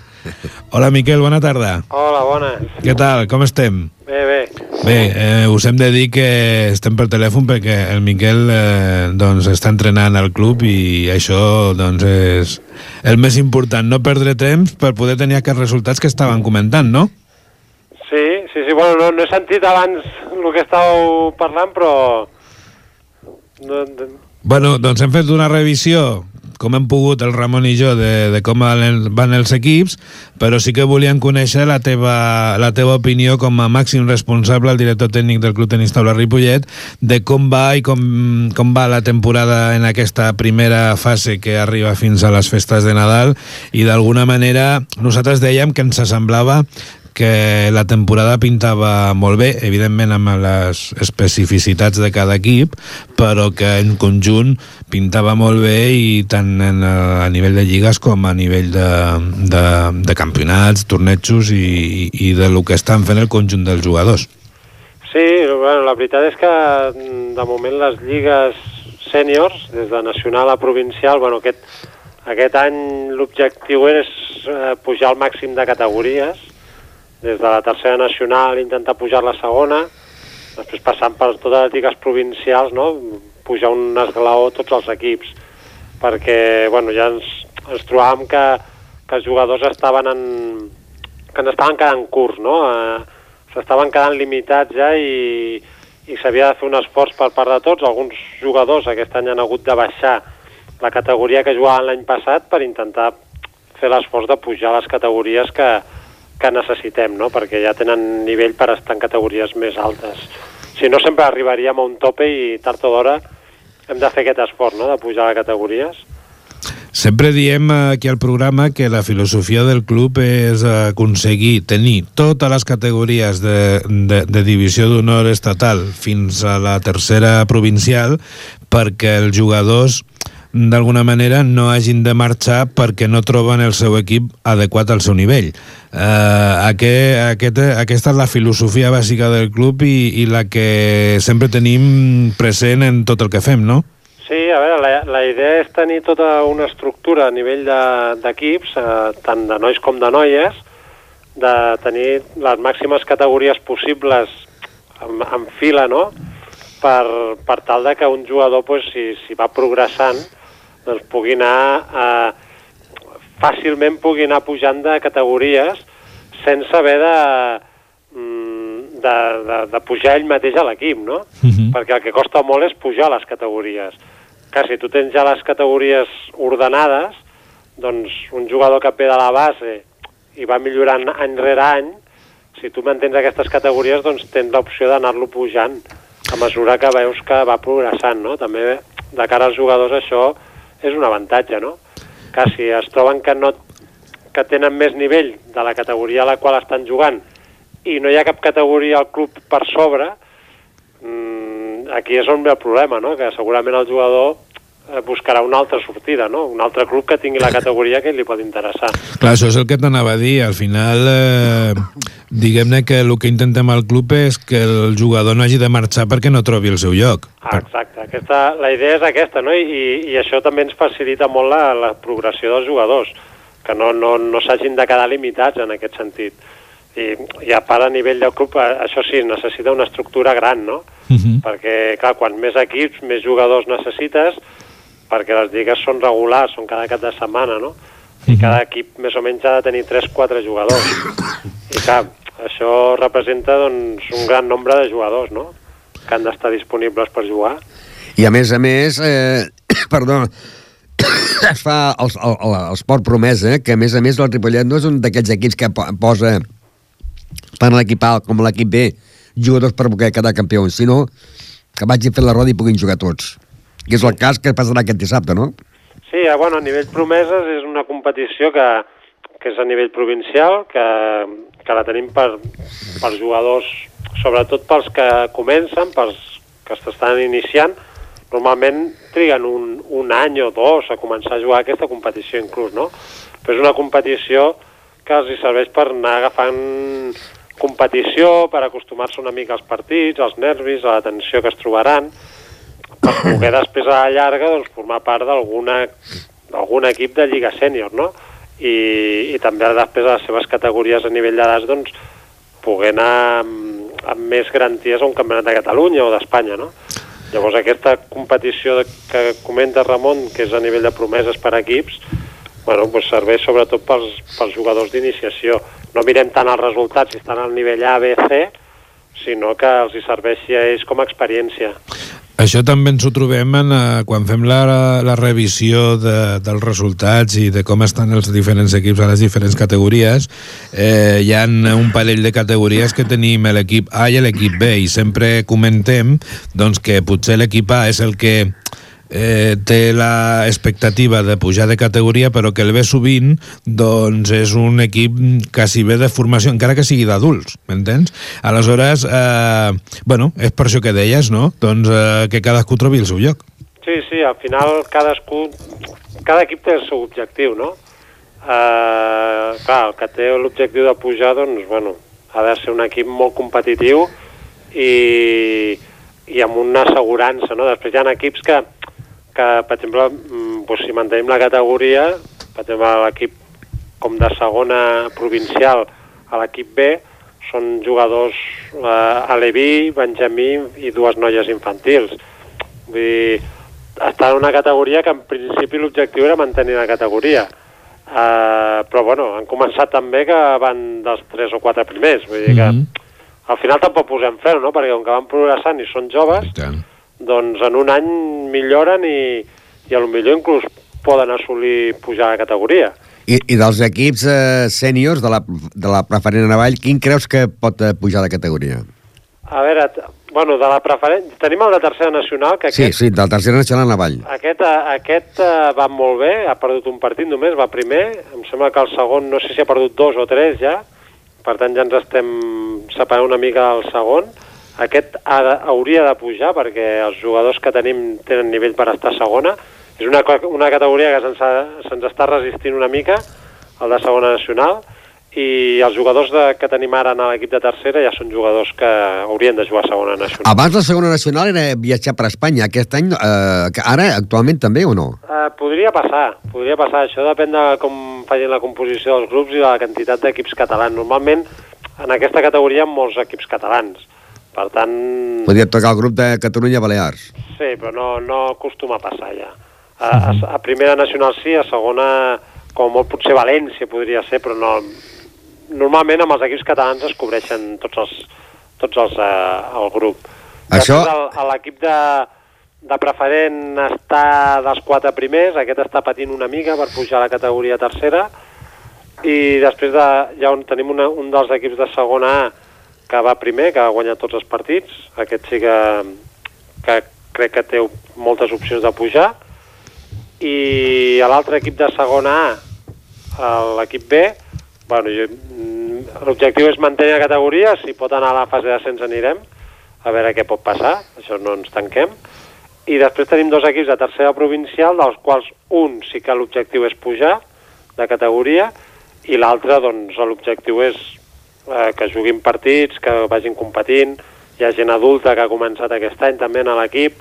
Hola, Miquel, bona tarda. Hola, bona. Què tal, com estem? Bé, bé. Bé, eh, us hem de dir que estem per telèfon perquè el Miquel eh, doncs, està entrenant al club i això doncs, és el més important, no perdre temps per poder tenir aquests resultats que estaven comentant, no? Sí, sí, sí, bueno, no, no he sentit abans el que estàveu parlant, però... No, no... Bueno, doncs hem fet una revisió com hem pogut el Ramon i jo, de, de com van els equips, però sí que volíem conèixer la teva, la teva opinió com a màxim responsable, el director tècnic del Club Tenis Taula Ripollet, de com va i com, com va la temporada en aquesta primera fase que arriba fins a les festes de Nadal, i d'alguna manera nosaltres dèiem que ens semblava que la temporada pintava molt bé, evidentment amb les especificitats de cada equip, però que en conjunt pintava molt bé, i tant en, a nivell de lligues com a nivell de, de, de campionats, tornejos i, i de lo que estan fent el conjunt dels jugadors. Sí, bueno, la veritat és que de moment les lligues sèniors, des de nacional a provincial, bueno, aquest, aquest any l'objectiu és eh, pujar al màxim de categories, des de la tercera nacional intentar pujar la segona, després passant per totes les lligues provincials, no? Pujar un esglaó tots els equips, perquè bueno, ja ens, ens trobàvem que, que els jugadors estaven en, que ens estaven quedant curts, no? Eh, s'estaven quedant limitats ja, i, i s'havia de fer un esforç per part de tots. Alguns jugadors aquest any han hagut de baixar la categoria que jugaven l'any passat per intentar fer l'esforç de pujar a les categories que que necessitem, no? Perquè ja tenen nivell per estar en categories més altes. Si no, sempre arribaríem a un tope i tard o d'hora hem de fer aquest esforç, no?, de pujar a categories. Sempre diem aquí al programa que la filosofia del club és aconseguir tenir totes les categories de, de, de divisió d'honor estatal fins a la tercera provincial, perquè els jugadors d'alguna manera no hagin de marxar perquè no troben el seu equip adequat al seu nivell. Uh, aquest, aquest, aquesta és la filosofia bàsica del club i, i la que sempre tenim present en tot el que fem, no? Sí, a veure, la, la idea és tenir tota una estructura a nivell d'equips, de, eh, tant de nois com de noies, de tenir les màximes categories possibles en, en fila, no?, per, per tal de que un jugador, pues, si, si va progressant, doncs pugui anar eh, fàcilment pugui anar pujant de categories sense haver de, de, de, de pujar ell mateix a l'equip, no? Uh-huh. Perquè el que costa molt és pujar les categories. Que si tu tens ja les categories ordenades, doncs un jugador que ve de la base i va millorant any rere any, si tu mantens aquestes categories, doncs tens l'opció d'anar-lo pujant a mesura que veus que va progressant, no? També de cara als jugadors això és un avantatge, no? Que si es troben que, no, que tenen més nivell de la categoria a la qual estan jugant i no hi ha cap categoria al club per sobre, mmm, aquí és on ve el problema, no? Que segurament el jugador buscarà una altra sortida, no? Un altre club que tingui la categoria que li pot interessar. Clar, això és el que t'anava a dir. Al final, eh, diguem-ne que el que intentem al club és que el jugador no hagi de marxar perquè no trobi el seu lloc. Ah, exacte. Aquesta, la idea és aquesta, no? I, i això també ens facilita molt la, la progressió dels jugadors, que no, no, no s'hagin de quedar limitats en aquest sentit. I, i a part, a nivell del club, això sí, necessita una estructura gran, no? Uh-huh. Perquè, clar, quan més equips, més jugadors necessites, perquè les lligues són regulars, són cada cap de setmana, no? I cada equip més o menys ha de tenir tres o quatre jugadors. I clar, això representa doncs, un gran nombre de jugadors, no?, que han d'estar disponibles per jugar. I a més a més, eh, perdó, es fa el, el, el, el esport promesa, que a més a més el Ripollet no és un d'aquests equips que posa tant l'equip A com l'equip B jugadors per poder quedar campions, sinó que vagin fent la roda i puguin jugar tots. Que és el cas que passarà aquest dissabte, no? Sí, bueno, a nivell promeses és una competició que, que és a nivell provincial, que, que la tenim per, per jugadors, sobretot pels que comencen, pels que s'estan iniciant. Normalment triguen un, un any o dos a començar a jugar aquesta competició inclús, no? Però és una competició que els hi serveix per anar agafant competició, per acostumar-se una mica als partits, als nervis, a la tensió que es trobaran, per poder després a la llarga doncs, formar part d'algun equip de Lliga Sènior, no? I, i també després a les seves categories a nivell d'edats doncs, poder anar amb, amb més garanties a un campionat de Catalunya o d'Espanya, no? Llavors aquesta competició que comenta Ramon, que és a nivell de promeses per equips, bueno, doncs serveix sobretot pels, pels jugadors d'iniciació. No mirem tant els resultats si estan al nivell A, B, C, sinó que els hi serveixi a ells com a experiència. Això també ens ho trobem en, uh, quan fem la, la revisió de, dels resultats i de com estan els diferents equips a les diferents categories. Eh, hi ha un parell de categories que tenim l'equip A i l'equip B, i sempre comentem doncs, que potser l'equip A és el que eh, té l'expectativa de pujar de categoria, però que el B sovint doncs, és un equip quasi bé de formació, encara que sigui d'adults, m'entens? Aleshores, eh, bueno, és per això que deies, no? Doncs eh, que cadascú trobi el seu lloc. Sí, sí, al final cadascú, cada equip té el seu objectiu, no? Eh, clar, el que té l'objectiu de pujar, doncs, bueno, ha de ser un equip molt competitiu i, i amb una assegurança, no? Després hi ha equips que que, per exemple, doncs, si mantenim la categoria, per exemple, l'equip com de segona provincial a l'equip B, són jugadors eh, aleví, benjamí i dues noies infantils. Vull dir, està en una categoria que en principi l'objectiu era mantenir la categoria. Eh, però, bueno, han començat també que van dels tres o quatre primers. Vull dir que mm-hmm. al final tampoc posem fel, no? Perquè com que van progressant i són joves, doncs en un any milloren i, i a lo millor inclús poden assolir pujar a categoria. I, i dels equips eh, sèniors de la, de la preferent Navall, quin creus que pot eh, pujar de categoria? A veure, bueno, de la preferent... Tenim el de tercera nacional, que aquest... Sí, sí, del tercera nacional Navall. Aquest, aquest uh, va molt bé, ha perdut un partit només, va primer, em sembla que el segon, no sé si ha perdut dos o tres ja, per tant ja ens estem separant una mica del segon. Aquest ha de, hauria de pujar perquè els jugadors que tenim tenen nivell per estar a segona. És una, una categoria que se'ns, se'ns està resistint una mica, el de segona nacional, i els jugadors de, que tenim ara en l'equip de tercera ja són jugadors que haurien de jugar a segona nacional. Abans la segona nacional era viatjar per Espanya. Aquest any, eh, ara, actualment també o no? Eh, podria passar, podria passar. Això depèn de com facin la composició dels grups i de la quantitat d'equips catalans. Normalment, en aquesta categoria hi ha molts equips catalans. Per tant... Podria tocar el grup de Catalunya-Balears. Sí, però no, no acostuma a passar ja. A, a, a primera nacional sí, a segona, com molt potser València podria ser, però no... Normalment amb els equips catalans es cobreixen tots els, tots els eh, el grup. Això... L'equip de, de preferent està dels quatre primers, aquest està patint una mica per pujar a la categoria tercera, i després de, ja on tenim una, un dels equips de segona A que va primer, que ha guanyat tots els partits. Aquest sí que, que crec que té moltes opcions de pujar. I a l'altre equip de segona A, l'equip B, bueno, l'objectiu és mantenir la categoria, si pot anar a la fase d'ascens anirem, a veure què pot passar, això no ens tanquem. I després tenim dos equips de tercera provincial, dels quals un sí que l'objectiu és pujar de categoria, i l'altre, doncs, l'objectiu és eh, que juguin partits, que vagin competint. Hi ha gent adulta que ha començat aquest any també en l'equip,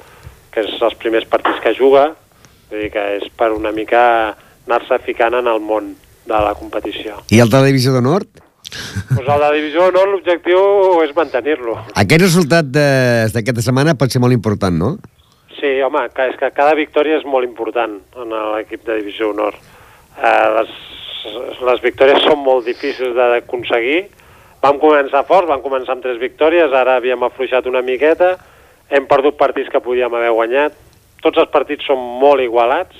que és els primers partits que juga, vull dir que és per una mica anar-se ficant en el món de la competició. I el de la divisió d'honor? Pues el de la divisió d'honor l'objectiu és mantenir-lo. Aquest resultat d'aquesta setmana pot ser molt important, no? Sí, home, és que cada victòria és molt important en l'equip de divisió d'honor. Eh, les, les victòries són molt difícils d'aconseguir. Vam començar forts, vam començar amb tres victòries, ara havíem afluixat una miqueta, hem perdut partits que podíem haver guanyat, tots els partits són molt igualats.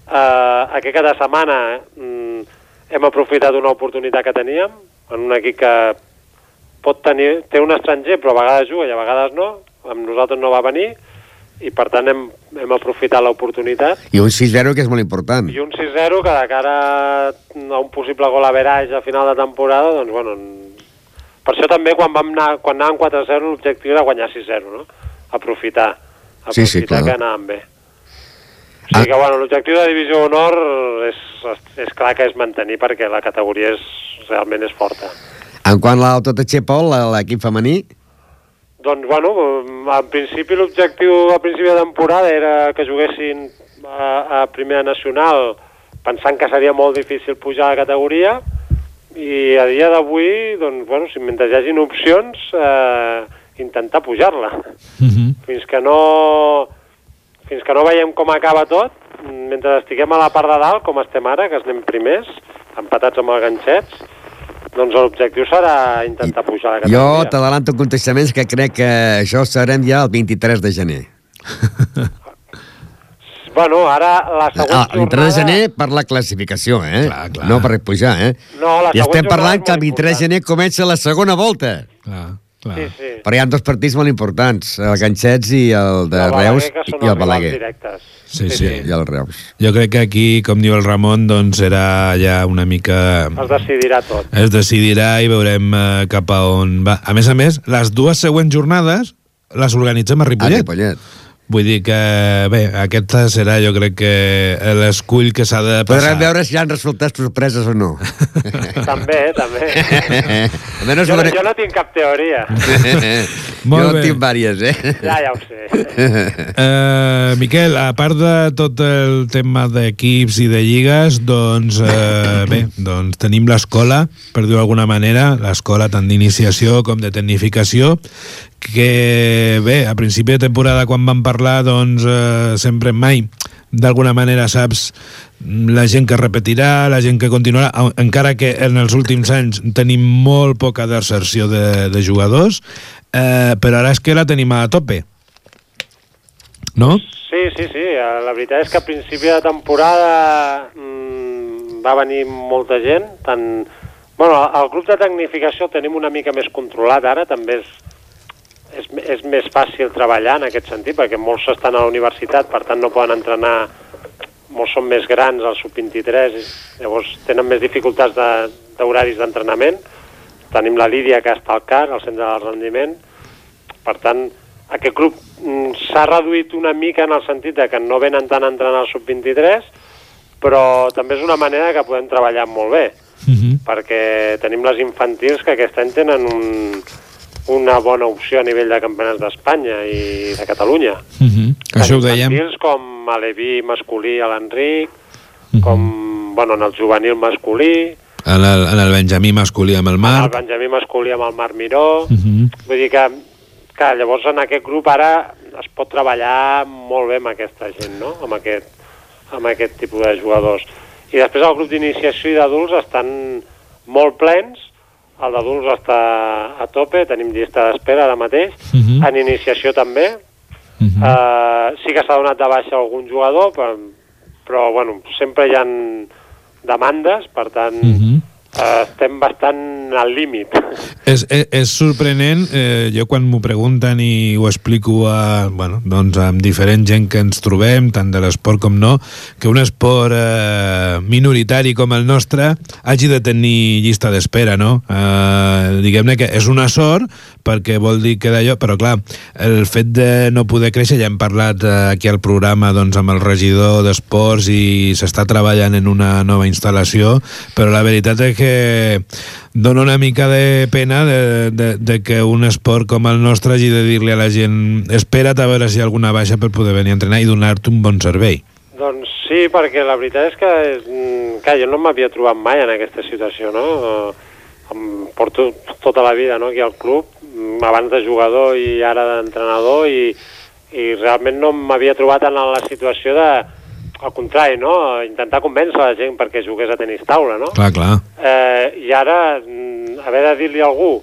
Eh, aquest cada setmana mm, hem aprofitat una oportunitat que teníem, en un equip que pot tenir, té un estranger, però a vegades juga i a vegades no, amb nosaltres no va venir, i per tant hem, hem aprofitat l'oportunitat. I un sis zero que és molt important. I un sis zero que de cara a un possible gol average a final de temporada, doncs bueno, per això també quan vam anar, quan anàvem quatre zero l'objectiu era guanyar sis zero, no? Aprofitar, aprofitar sí, sí, clar. que anàvem bé. O sigui que bueno, l'objectiu de divisió honor és, és clar que és mantenir perquè la categoria és, realment és forta. En quant a l'autotatxer, Pol, l'equip femení? Doncs, bueno, en principi l'objectiu a principi de temporada era que juguessin a, a primera nacional pensant que seria molt difícil pujar a la categoria i a dia d'avui, doncs, bueno, si mentre hi hagin opcions, eh, intentar pujar-la. Mm-hmm. Fins que no... Fins que no veiem com acaba tot, mentre estiguem a la part de dalt, com estem ara, que anem primers, empatats amb els ganxets, doncs l'objectiu serà intentar pujar a la categoria. Jo t'adelanto contestaments que crec que això serem ja el vint-i-tres de gener. Bueno, ara la següent Ah, jornada... vint-i-tres de gener per la classificació, eh? Clar, clar. No per pujar, eh? No, la I estem següent parlant jornada és que el molt vint-i-tres de gener comença la segona volta. Clar, clar. Sí, sí. Però hi ha dos partits molt importants, el Ganxets i el de El Reus Balaguer, que són i el els Balaguer. rivals directes. Sí, sí. I el Reus. Jo crec que aquí, com diu el Ramon, doncs serà ja una mica... Es decidirà tot. Es decidirà i veurem eh, cap a on va. A més a més, les dues següents jornades les organitzem a A Ripollet. Ripollet. Vull dir que, bé, aquesta serà, jo crec que l'escull que s'ha de passar. Podrem veure si hi ha resultats sorpreses o no. També, també. Almenys Jo, veure- jo no tinc cap teoria. Molt jo bé. en tinc vàries, eh? Ja, ja ho sé. Uh, Miquel, a part de tot el tema d'equips i de lligues, doncs, uh, bé, doncs tenim l'escola, per dir-ho d'alguna manera, l'escola tant d'iniciació com de tecnificació, que, bé, a principi de temporada, quan vam parlar, doncs, uh, sempre mai, d'alguna manera saps la gent que repetirà, la gent que continuarà, encara que en els últims anys tenim molt poca deserció de, de jugadors, eh, però ara és que la tenim a tope. No? Sí, sí, sí. La veritat és que a principi de temporada mmm, va venir molta gent. Tant... Bueno, el grup de tecnificació el tenim una mica més controlat ara, també és, és, és més fàcil treballar en aquest sentit, perquè molts estan a la universitat, per tant no poden entrenar, molts són més grans, al sub vint-i-tres, llavors tenen més dificultats de- d'horaris d'entrenament. Tenim la Lídia, que està al C A R, al centre del rendiment. Per tant, aquest grup mm, s'ha reduït una mica en el sentit de que no venen tant a entrenar al sub vint-i-tres, però també és una manera que podem treballar molt bé, Uh-huh. perquè tenim les infantils que aquest any tenen un, una bona opció a nivell de campionats d'Espanya i de Catalunya. Uh-huh. Això ho Tant dèiem. infantils com a l'Evi masculí, a l'Enric, com bueno, en el juvenil masculí, En el, en el Benjamí masculí amb el el Marc. Benjamí masculí amb el Marc Miró. Uh-huh. Vull dir que, que llavors en aquest grup ara es pot treballar molt bé amb aquesta gent, no? Amb aquest, amb aquest tipus de jugadors. I després el grup d'iniciació i d'adults estan molt plens, el d'adults està a tope, tenim llista d'espera ara mateix, Mhm. en iniciació també. Uh-huh. Uh, sí que s'ha donat de baixa algun jugador, però, però bueno, sempre hi ha demandes, per tant, Mhm. uh, estem bastant al límit. És, és, és sorprenent, eh, jo quan m'ho pregunten i ho explico a, bueno, doncs amb diferent gent que ens trobem, tant de l'esport com no, que un esport eh, minoritari com el nostre hagi de tenir llista d'espera, no? Eh, diguem-ne que és una sort, perquè vol dir que d'allò, però clar, el fet de no poder créixer, ja hem parlat eh, aquí al programa doncs, amb el regidor d'esports i s'està treballant en una nova instal·lació, però la veritat és que dona una mica de pena de, de, de que un esport com el nostre hagi de dir-li a la gent espera't a veure si hi ha alguna baixa per poder venir a entrenar i donar-te un bon servei. Doncs sí, perquè la veritat és que mm, clar, jo no m'havia trobat mai en aquesta situació, no? Em porto tota la vida, no?, aquí al club, mm, abans de jugador i ara d'entrenador, i, i realment no m'havia trobat en la situació de, al contrari, no?, intentar convèncer la gent perquè jugués a tenis taula, no? Clar, clar. Eh, I ara, mm, haver de dir-li a algú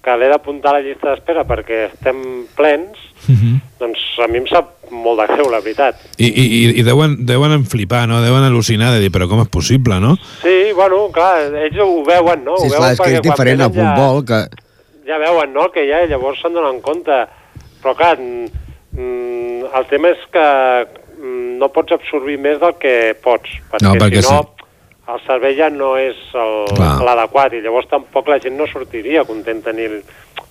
que l'he d'apuntar a la llista d'espera perquè estem plens, Uh-huh. doncs a mi em sap molt de greu, la veritat. I, i, i deuen, deuen flipar, no? Deuen al·lucinar de dir, però com és possible, no? Sí, bueno, clar, ells ho veuen, no? Sí, ho esclar, veuen és que perquè és quan diferent al venen ja, futbol, que... ja veuen, no?, que ja, llavors se'n donen compte. Però clar, mm, el tema és que mm, no pots absorbir més del que pots, perquè, No, perquè si no, sí. el servei ja no és el- Clar. l'adequat, i llavors tampoc la gent no sortiria contenta ni el,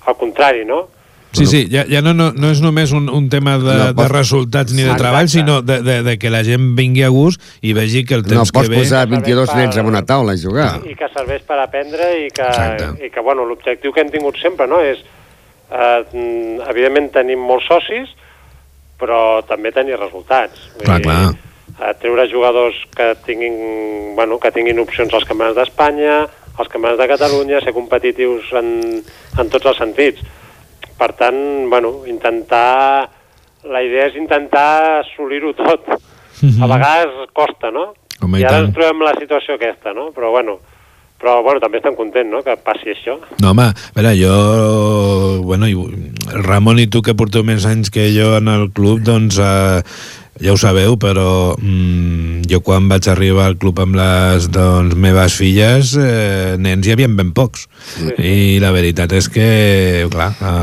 al contrari, no? Sí, sí, ja, ja no, no, no és només un, un tema de, No de pots- resultats ni de Exacte. treball, sinó de, de, de que la gent vingui a gust i vegi que el No temps pots que ve... posar vint-i-dos Per- nens en una taula a jugar. I que serveix per aprendre i que, Exacte. i que bueno, l'objectiu que hem tingut sempre, no?, és eh, mm, evidentment tenim molts socis, però també tenir resultats. Vull Clar, dir, clar. eh, treure jugadors que tinguin, bueno, que tinguin opcions als campionats d'Espanya, als campionats de Catalunya, ser competitius en, en tots els sentits. Per tant, bueno, intentar... La idea és intentar assolir-ho tot. Mhm. A vegades costa, no? Home, i I ara tant. ens trobem la situació aquesta, no? Però bueno, però, bueno també estem contents, no?, que passi això. No, home, a veure, jo... Bueno, i, Ramon i tu, que porteu més anys que jo en el club, doncs eh, ja ho sabeu, però mm, jo quan vaig arribar al club amb les doncs, meves filles, eh, nens hi havia ben pocs. Sí. I la veritat és que, clar, ha,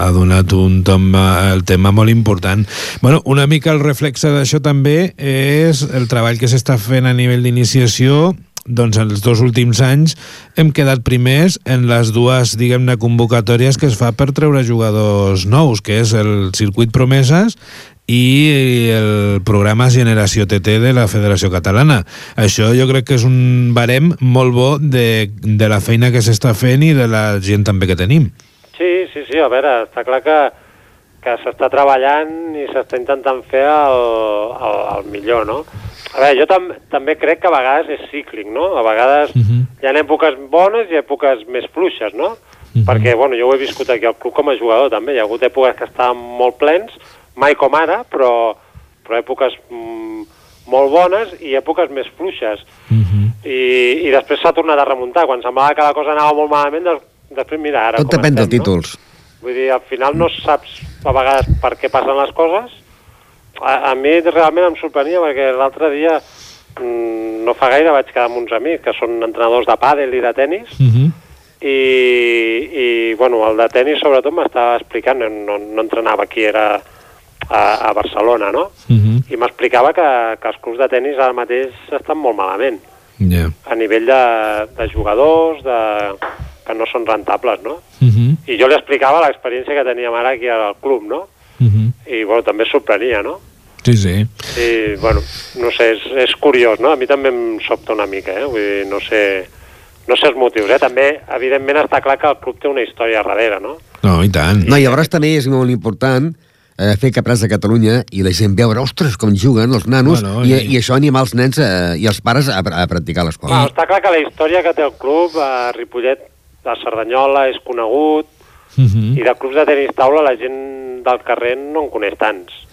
ha donat un tom al tema molt important. Bueno, una mica el reflexe d'això també és el treball que s'està fent a nivell d'iniciació. Doncs en els dos últims anys hem quedat primers en les dues, diguem-ne, convocatòries que es fa per treure jugadors nous, que és el Circuit Promeses i el programa Generació T T de la Federació Catalana. Això jo crec que és un barem molt bo de, de la feina que s'està fent i de la gent també que tenim. Sí, sí, sí, a veure, està clar que, que s'està treballant i s'està intentant fer el, el, el millor, no? A veure, jo tam també crec que a vegades és cíclic, no? A vegades uh-huh. hi ha èpoques bones i èpoques més fluixes, no? Uh-huh. Perquè, bueno, jo ho he viscut aquí al club com a jugador també. Hi ha hagut èpoques que estaven molt plens, mai com ara, però, però èpoques mm, molt bones i èpoques més fluixes. Uh-huh. I, I després s'ha tornat a remuntar. Quan semblava que la cosa anava molt malament, des, després mira ara tot depèn dels títols. No? Vull dir, al final no saps a vegades per què passen les coses. A, a mi realment em sorprenia perquè l'altre dia, mmm, no fa gaire, vaig quedar amb uns amics que són entrenadors de pàdel i de tenis, uh-huh. i, i bueno, el de tenis sobretot m'estava explicant, no, no entrenava aquí, era a, a Barcelona, no? Uh-huh. I m'explicava que, que els clubs de tenis ara mateix estan molt malament, yeah. a nivell de, de jugadors, de, que no són rentables, no? Uh-huh. I jo li explicava l'experiència que teníem ara aquí al club, no? Uh-huh. I bueno, també sorprenia, no? Sí, sí. I, bueno, no sé, és, és curiós, no? A mi també em sobta una mica, eh? Vull dir, no sé, no sé els motius, eh? També, evidentment, està clar que el club té una història darrere, no? No, i tant. No, i llavors també és molt important eh, fer campionats de Catalunya i la gent veure, ostres, com juguen els nanos, bueno, i, i... i això anima els nens eh, i els pares a, a practicar a l'escola. Bueno, està clar que la història que té el club, a Ripollet, a Cerdanyola, és conegut, uh-huh. i de clubs de tenis taula la gent del carrer no en coneix tants.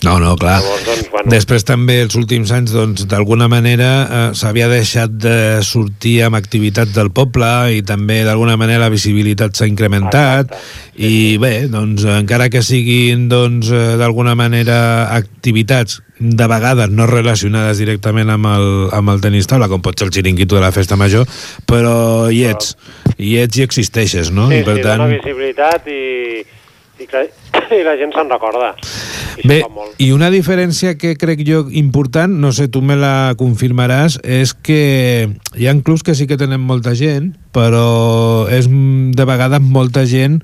No, no, clar. Llavors, doncs, bueno. Després també els últims anys, doncs, d'alguna manera eh, s'havia deixat de sortir amb activitats del poble i també d'alguna manera la visibilitat s'ha incrementat. Exacte. I sí, sí. bé, doncs encara que siguin doncs d'alguna manera activitats de vegades no relacionades directament amb el, amb el tenis taula, com pot ser el xiringuito de la festa major, però hi ets, hi ets i existeixes, no? Sí, I per sí, tant... dona visibilitat i, i, que, i la gent se'n recorda. Bé, i una diferència que crec jo important, no sé, tu me la confirmaràs, és que hi ha clubs que sí que tenen molta gent, però és de vegades molta gent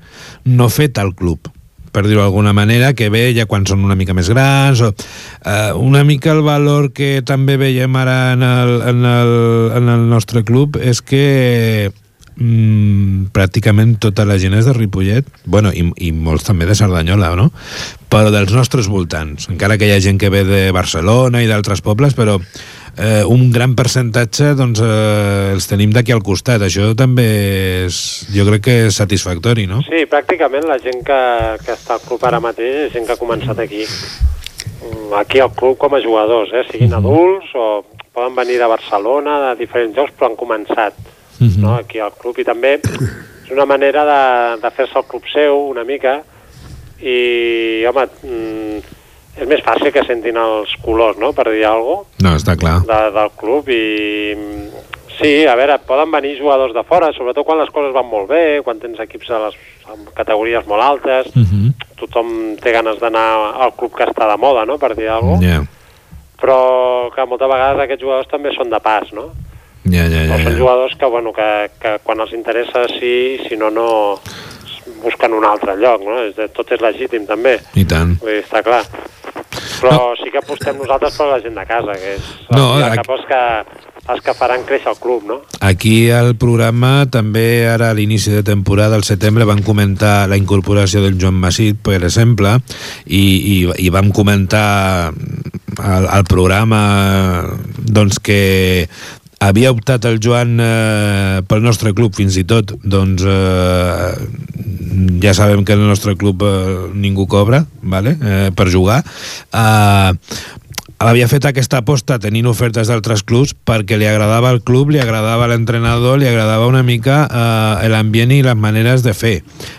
no feta al club, per dir-ho d'alguna manera, que ve ja quan són una mica més grans, o eh, una mica el valor que també veiem ara en el, en el, en el nostre club és que Mm, pràcticament tota la gent és de Ripollet, bueno, i, i molts també de Cerdanyola, no? Però dels nostres voltants, encara que hi ha gent que ve de Barcelona i d'altres pobles, però eh, un gran percentatge doncs eh, els tenim d'aquí al costat. Això també és, jo crec que és satisfactori, no? Sí, pràcticament la gent que, que està al club ara mateix és gent que ha començat aquí aquí al club com a jugadors, eh? Siguin uh-huh. adults o poden venir de Barcelona, de diferents llocs, però han començat Uh-huh. no? aquí al club, i també és una manera de, de fer-se el club seu una mica, i home mm, és més fàcil que sentin els colors, no?, per dir alguna cosa, no, està clar, de, del club. I sí, a veure, poden venir jugadors de fora, sobretot quan les coses van molt bé, quan tens equips a les categories molt altes, uh-huh. tothom té ganes d'anar al club que està de moda, no?, per dir alguna cosa, yeah. però que moltes vegades aquests jugadors també són de pas, no? Ja, ja, ja, no són ja. jugadors que, bueno, que, que quan els interessa sí, si no, no busquen un altre lloc, no? Tot és legítim, també. I tant. Vull dir, està clar. Però no. sí que apostem nosaltres per la gent de casa, que és no, els, aquí... que, els que faran créixer el club, no? Aquí al programa també ara a l'inici de temporada, al setembre, van comentar la incorporació del Joan Masip, per exemple, i, i, i vam comentar al, al programa doncs que havia optat el Joan eh, pel nostre club, fins i tot doncs eh, ja sabem que en el nostre club eh, ningú cobra, vale? eh, per jugar, eh, havia fet aquesta aposta tenint ofertes d'altres clubs perquè li agradava el club, li agradava l'entrenador, li agradava una mica eh, l'ambient i les maneres de fer.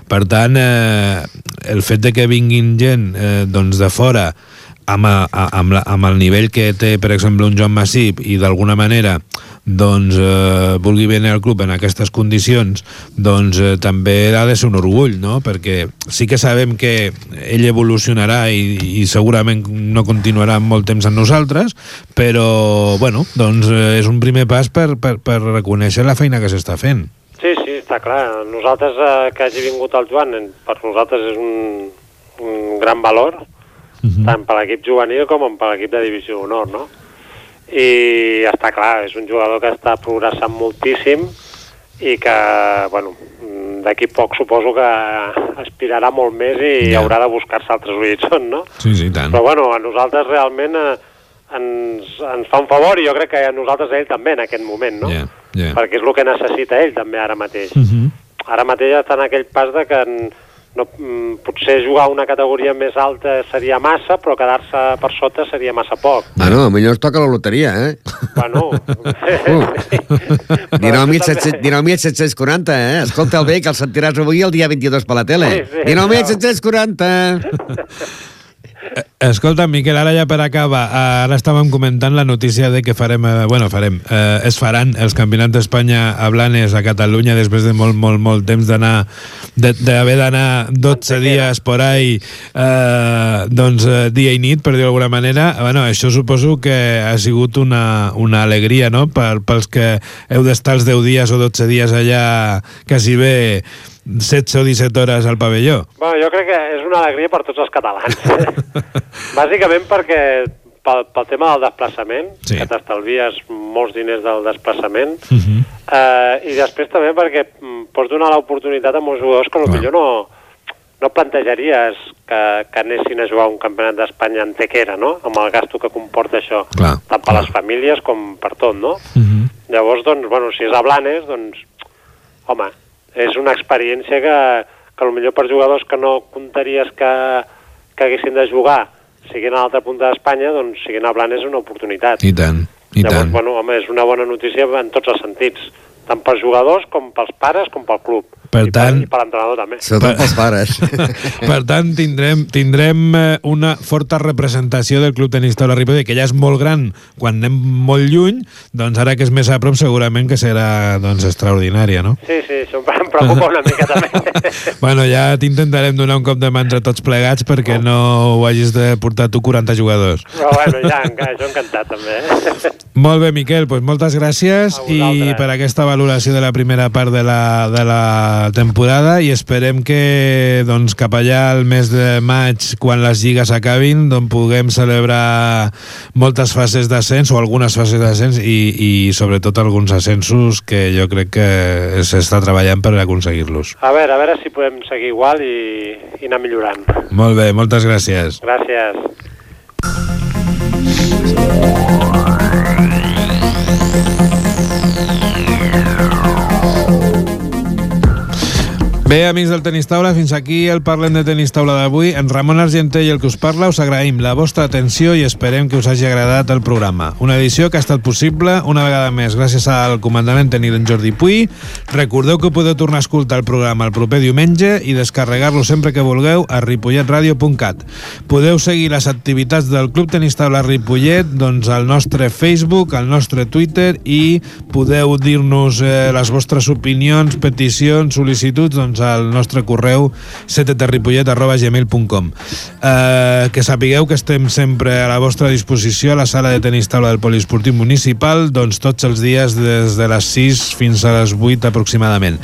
Per tant, eh, el fet de que vinguin gent eh, doncs de fora amb, a, amb, la, amb el nivell que té, per exemple, un Joan Masip i d'alguna manera doncs eh, vulgui venir al club en aquestes condicions, doncs eh, també ha de ser un orgull, no? Perquè sí que sabem que ell evolucionarà i, i segurament no continuarà molt temps amb nosaltres, però bueno, doncs eh, és un primer pas per, per, per reconèixer la feina que s'està fent. Sí, sí, està clar. Nosaltres, eh, que hagi vingut el Joan, per nosaltres és un, un gran valor, uh-huh. tant per l'equip juvenil com per l'equip de Divisió d'Honor, no? I està clar, és un jugador que està progressant moltíssim i que, bueno, d'aquí poc suposo que aspirarà molt més i yeah. haurà de buscar-se altres horitzons, no? Sí, sí, tant. Però bueno, a nosaltres realment eh, ens, ens fa un favor i jo crec que a nosaltres a ell també en aquest moment, no? Yeah, yeah. Perquè és el que necessita ell també ara mateix. Uh-huh. Ara mateix està en aquell pas de que no, potser jugar una categoria més alta seria massa, però quedar-se per sota seria massa poc. Bueno, potser es toca la loteria, eh? Bueno... uh. dinou mil set-cents quaranta, eh? Escolta el bé, que el sentiràs avui el dia vint-i-dos per la tele. Sí, sí, dinou mil set-cents quaranta! Escolta, Miquel, ara ja per acabar, ara estàvem comentant la notícia de que farem, eh, bueno, farem, eh, es faran els campionats d'Espanya a Blanes, a Catalunya, després de molt, molt, molt temps d'anar, d'haver d'anar dotze dies por ahí, eh, doncs dia i nit, per dir-ho d'alguna manera. Bueno, això suposo que ha sigut una, una alegria, no?, per, pels que heu d'estar els deu dies o dotze dies allà, quasi bé setze o disset hores al pavelló. Bueno, jo crec que és una alegria per tots els catalans. Bàsicament perquè pel, pel tema del desplaçament, sí. que t'estalvies molts diners del desplaçament, uh-huh. eh, i després també perquè pots donar l'oportunitat a molts jugadors que potser no, no plantejaries que, que anessin a jugar un campionat d'Espanya en tequera, no?, amb el gasto que comporta això, clar, tant per clar. les famílies com per tot, no? Uh-huh. Llavors, doncs, bueno, si és a Blanes, doncs, home, és una experiència que, que potser per jugadors que no comptaries que, que haguessin de jugar siguin a l'altra punta d'Espanya, doncs siguin a Blanes és una oportunitat. I tant, i Llavors, tant. bueno, home, és una bona notícia en tots els sentits, tant pels jugadors com pels pares com pel club. Per I tant... per, i per l'entrenador també. Sobretot pels pares. Per tant, tindrem, tindrem una forta representació del Club Tenis Taula Ripollet, que ja és molt gran quan anem molt lluny, doncs ara que és més a prop segurament que serà doncs, extraordinària, no? Sí, sí, això em preocupa una mica també. Bueno, ja t'intentarem donar un cop de mans a tots plegats perquè no ho hagis de portar tu quaranta jugadors. Però bueno, ja, jo encantat també. Eh? Molt bé, Miquel, doncs moltes gràcies i per aquesta valoració de la primera part de la, de la temporada i esperem que doncs, cap allà al mes de maig, quan les lligues acabin, doncs, puguem celebrar moltes fases d'ascens o algunes fases d'ascens i, i sobretot alguns ascensos que jo crec que s'està treballant per aconseguir-los. A veure, a veure si podem seguir igual i, i anar millorant. Molt bé, moltes gràcies. Gràcies. Bé, amics del Tenis Taula, fins aquí el Parlem de Tenis Taula d'avui. En Ramon Argenter i el que us parla us agraïm la vostra atenció i esperem que us hagi agradat el programa. Una edició que ha estat possible una vegada més gràcies al comandament tècnic d'en Jordi Puy. Recordeu que podeu tornar a escoltar el programa el proper diumenge i descarregar-lo sempre que vulgueu a ripollet radio punt cat. Podeu seguir les activitats del Club Tenis Taula Ripollet doncs, al nostre Facebook, al nostre Twitter i podeu dir-nos eh, les vostres opinions, peticions, sol·licituds doncs, al nostre correu c t t ripollet arroba gmail punt com. Eh, que sapigueu que estem sempre a la vostra disposició a la sala de tenis taula del Poliesportiu Municipal doncs tots els dies des de les sis fins a les vuit aproximadament.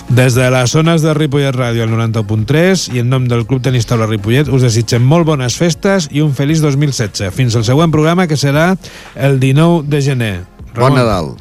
Des de les zones de Ripollet Ràdio al noranta punt tres i en nom del Club Tenis Taula Ripollet us desitgem molt bones festes i un feliç dos mil setze. Fins al següent programa que serà el dinou de gener. Bon Nadal.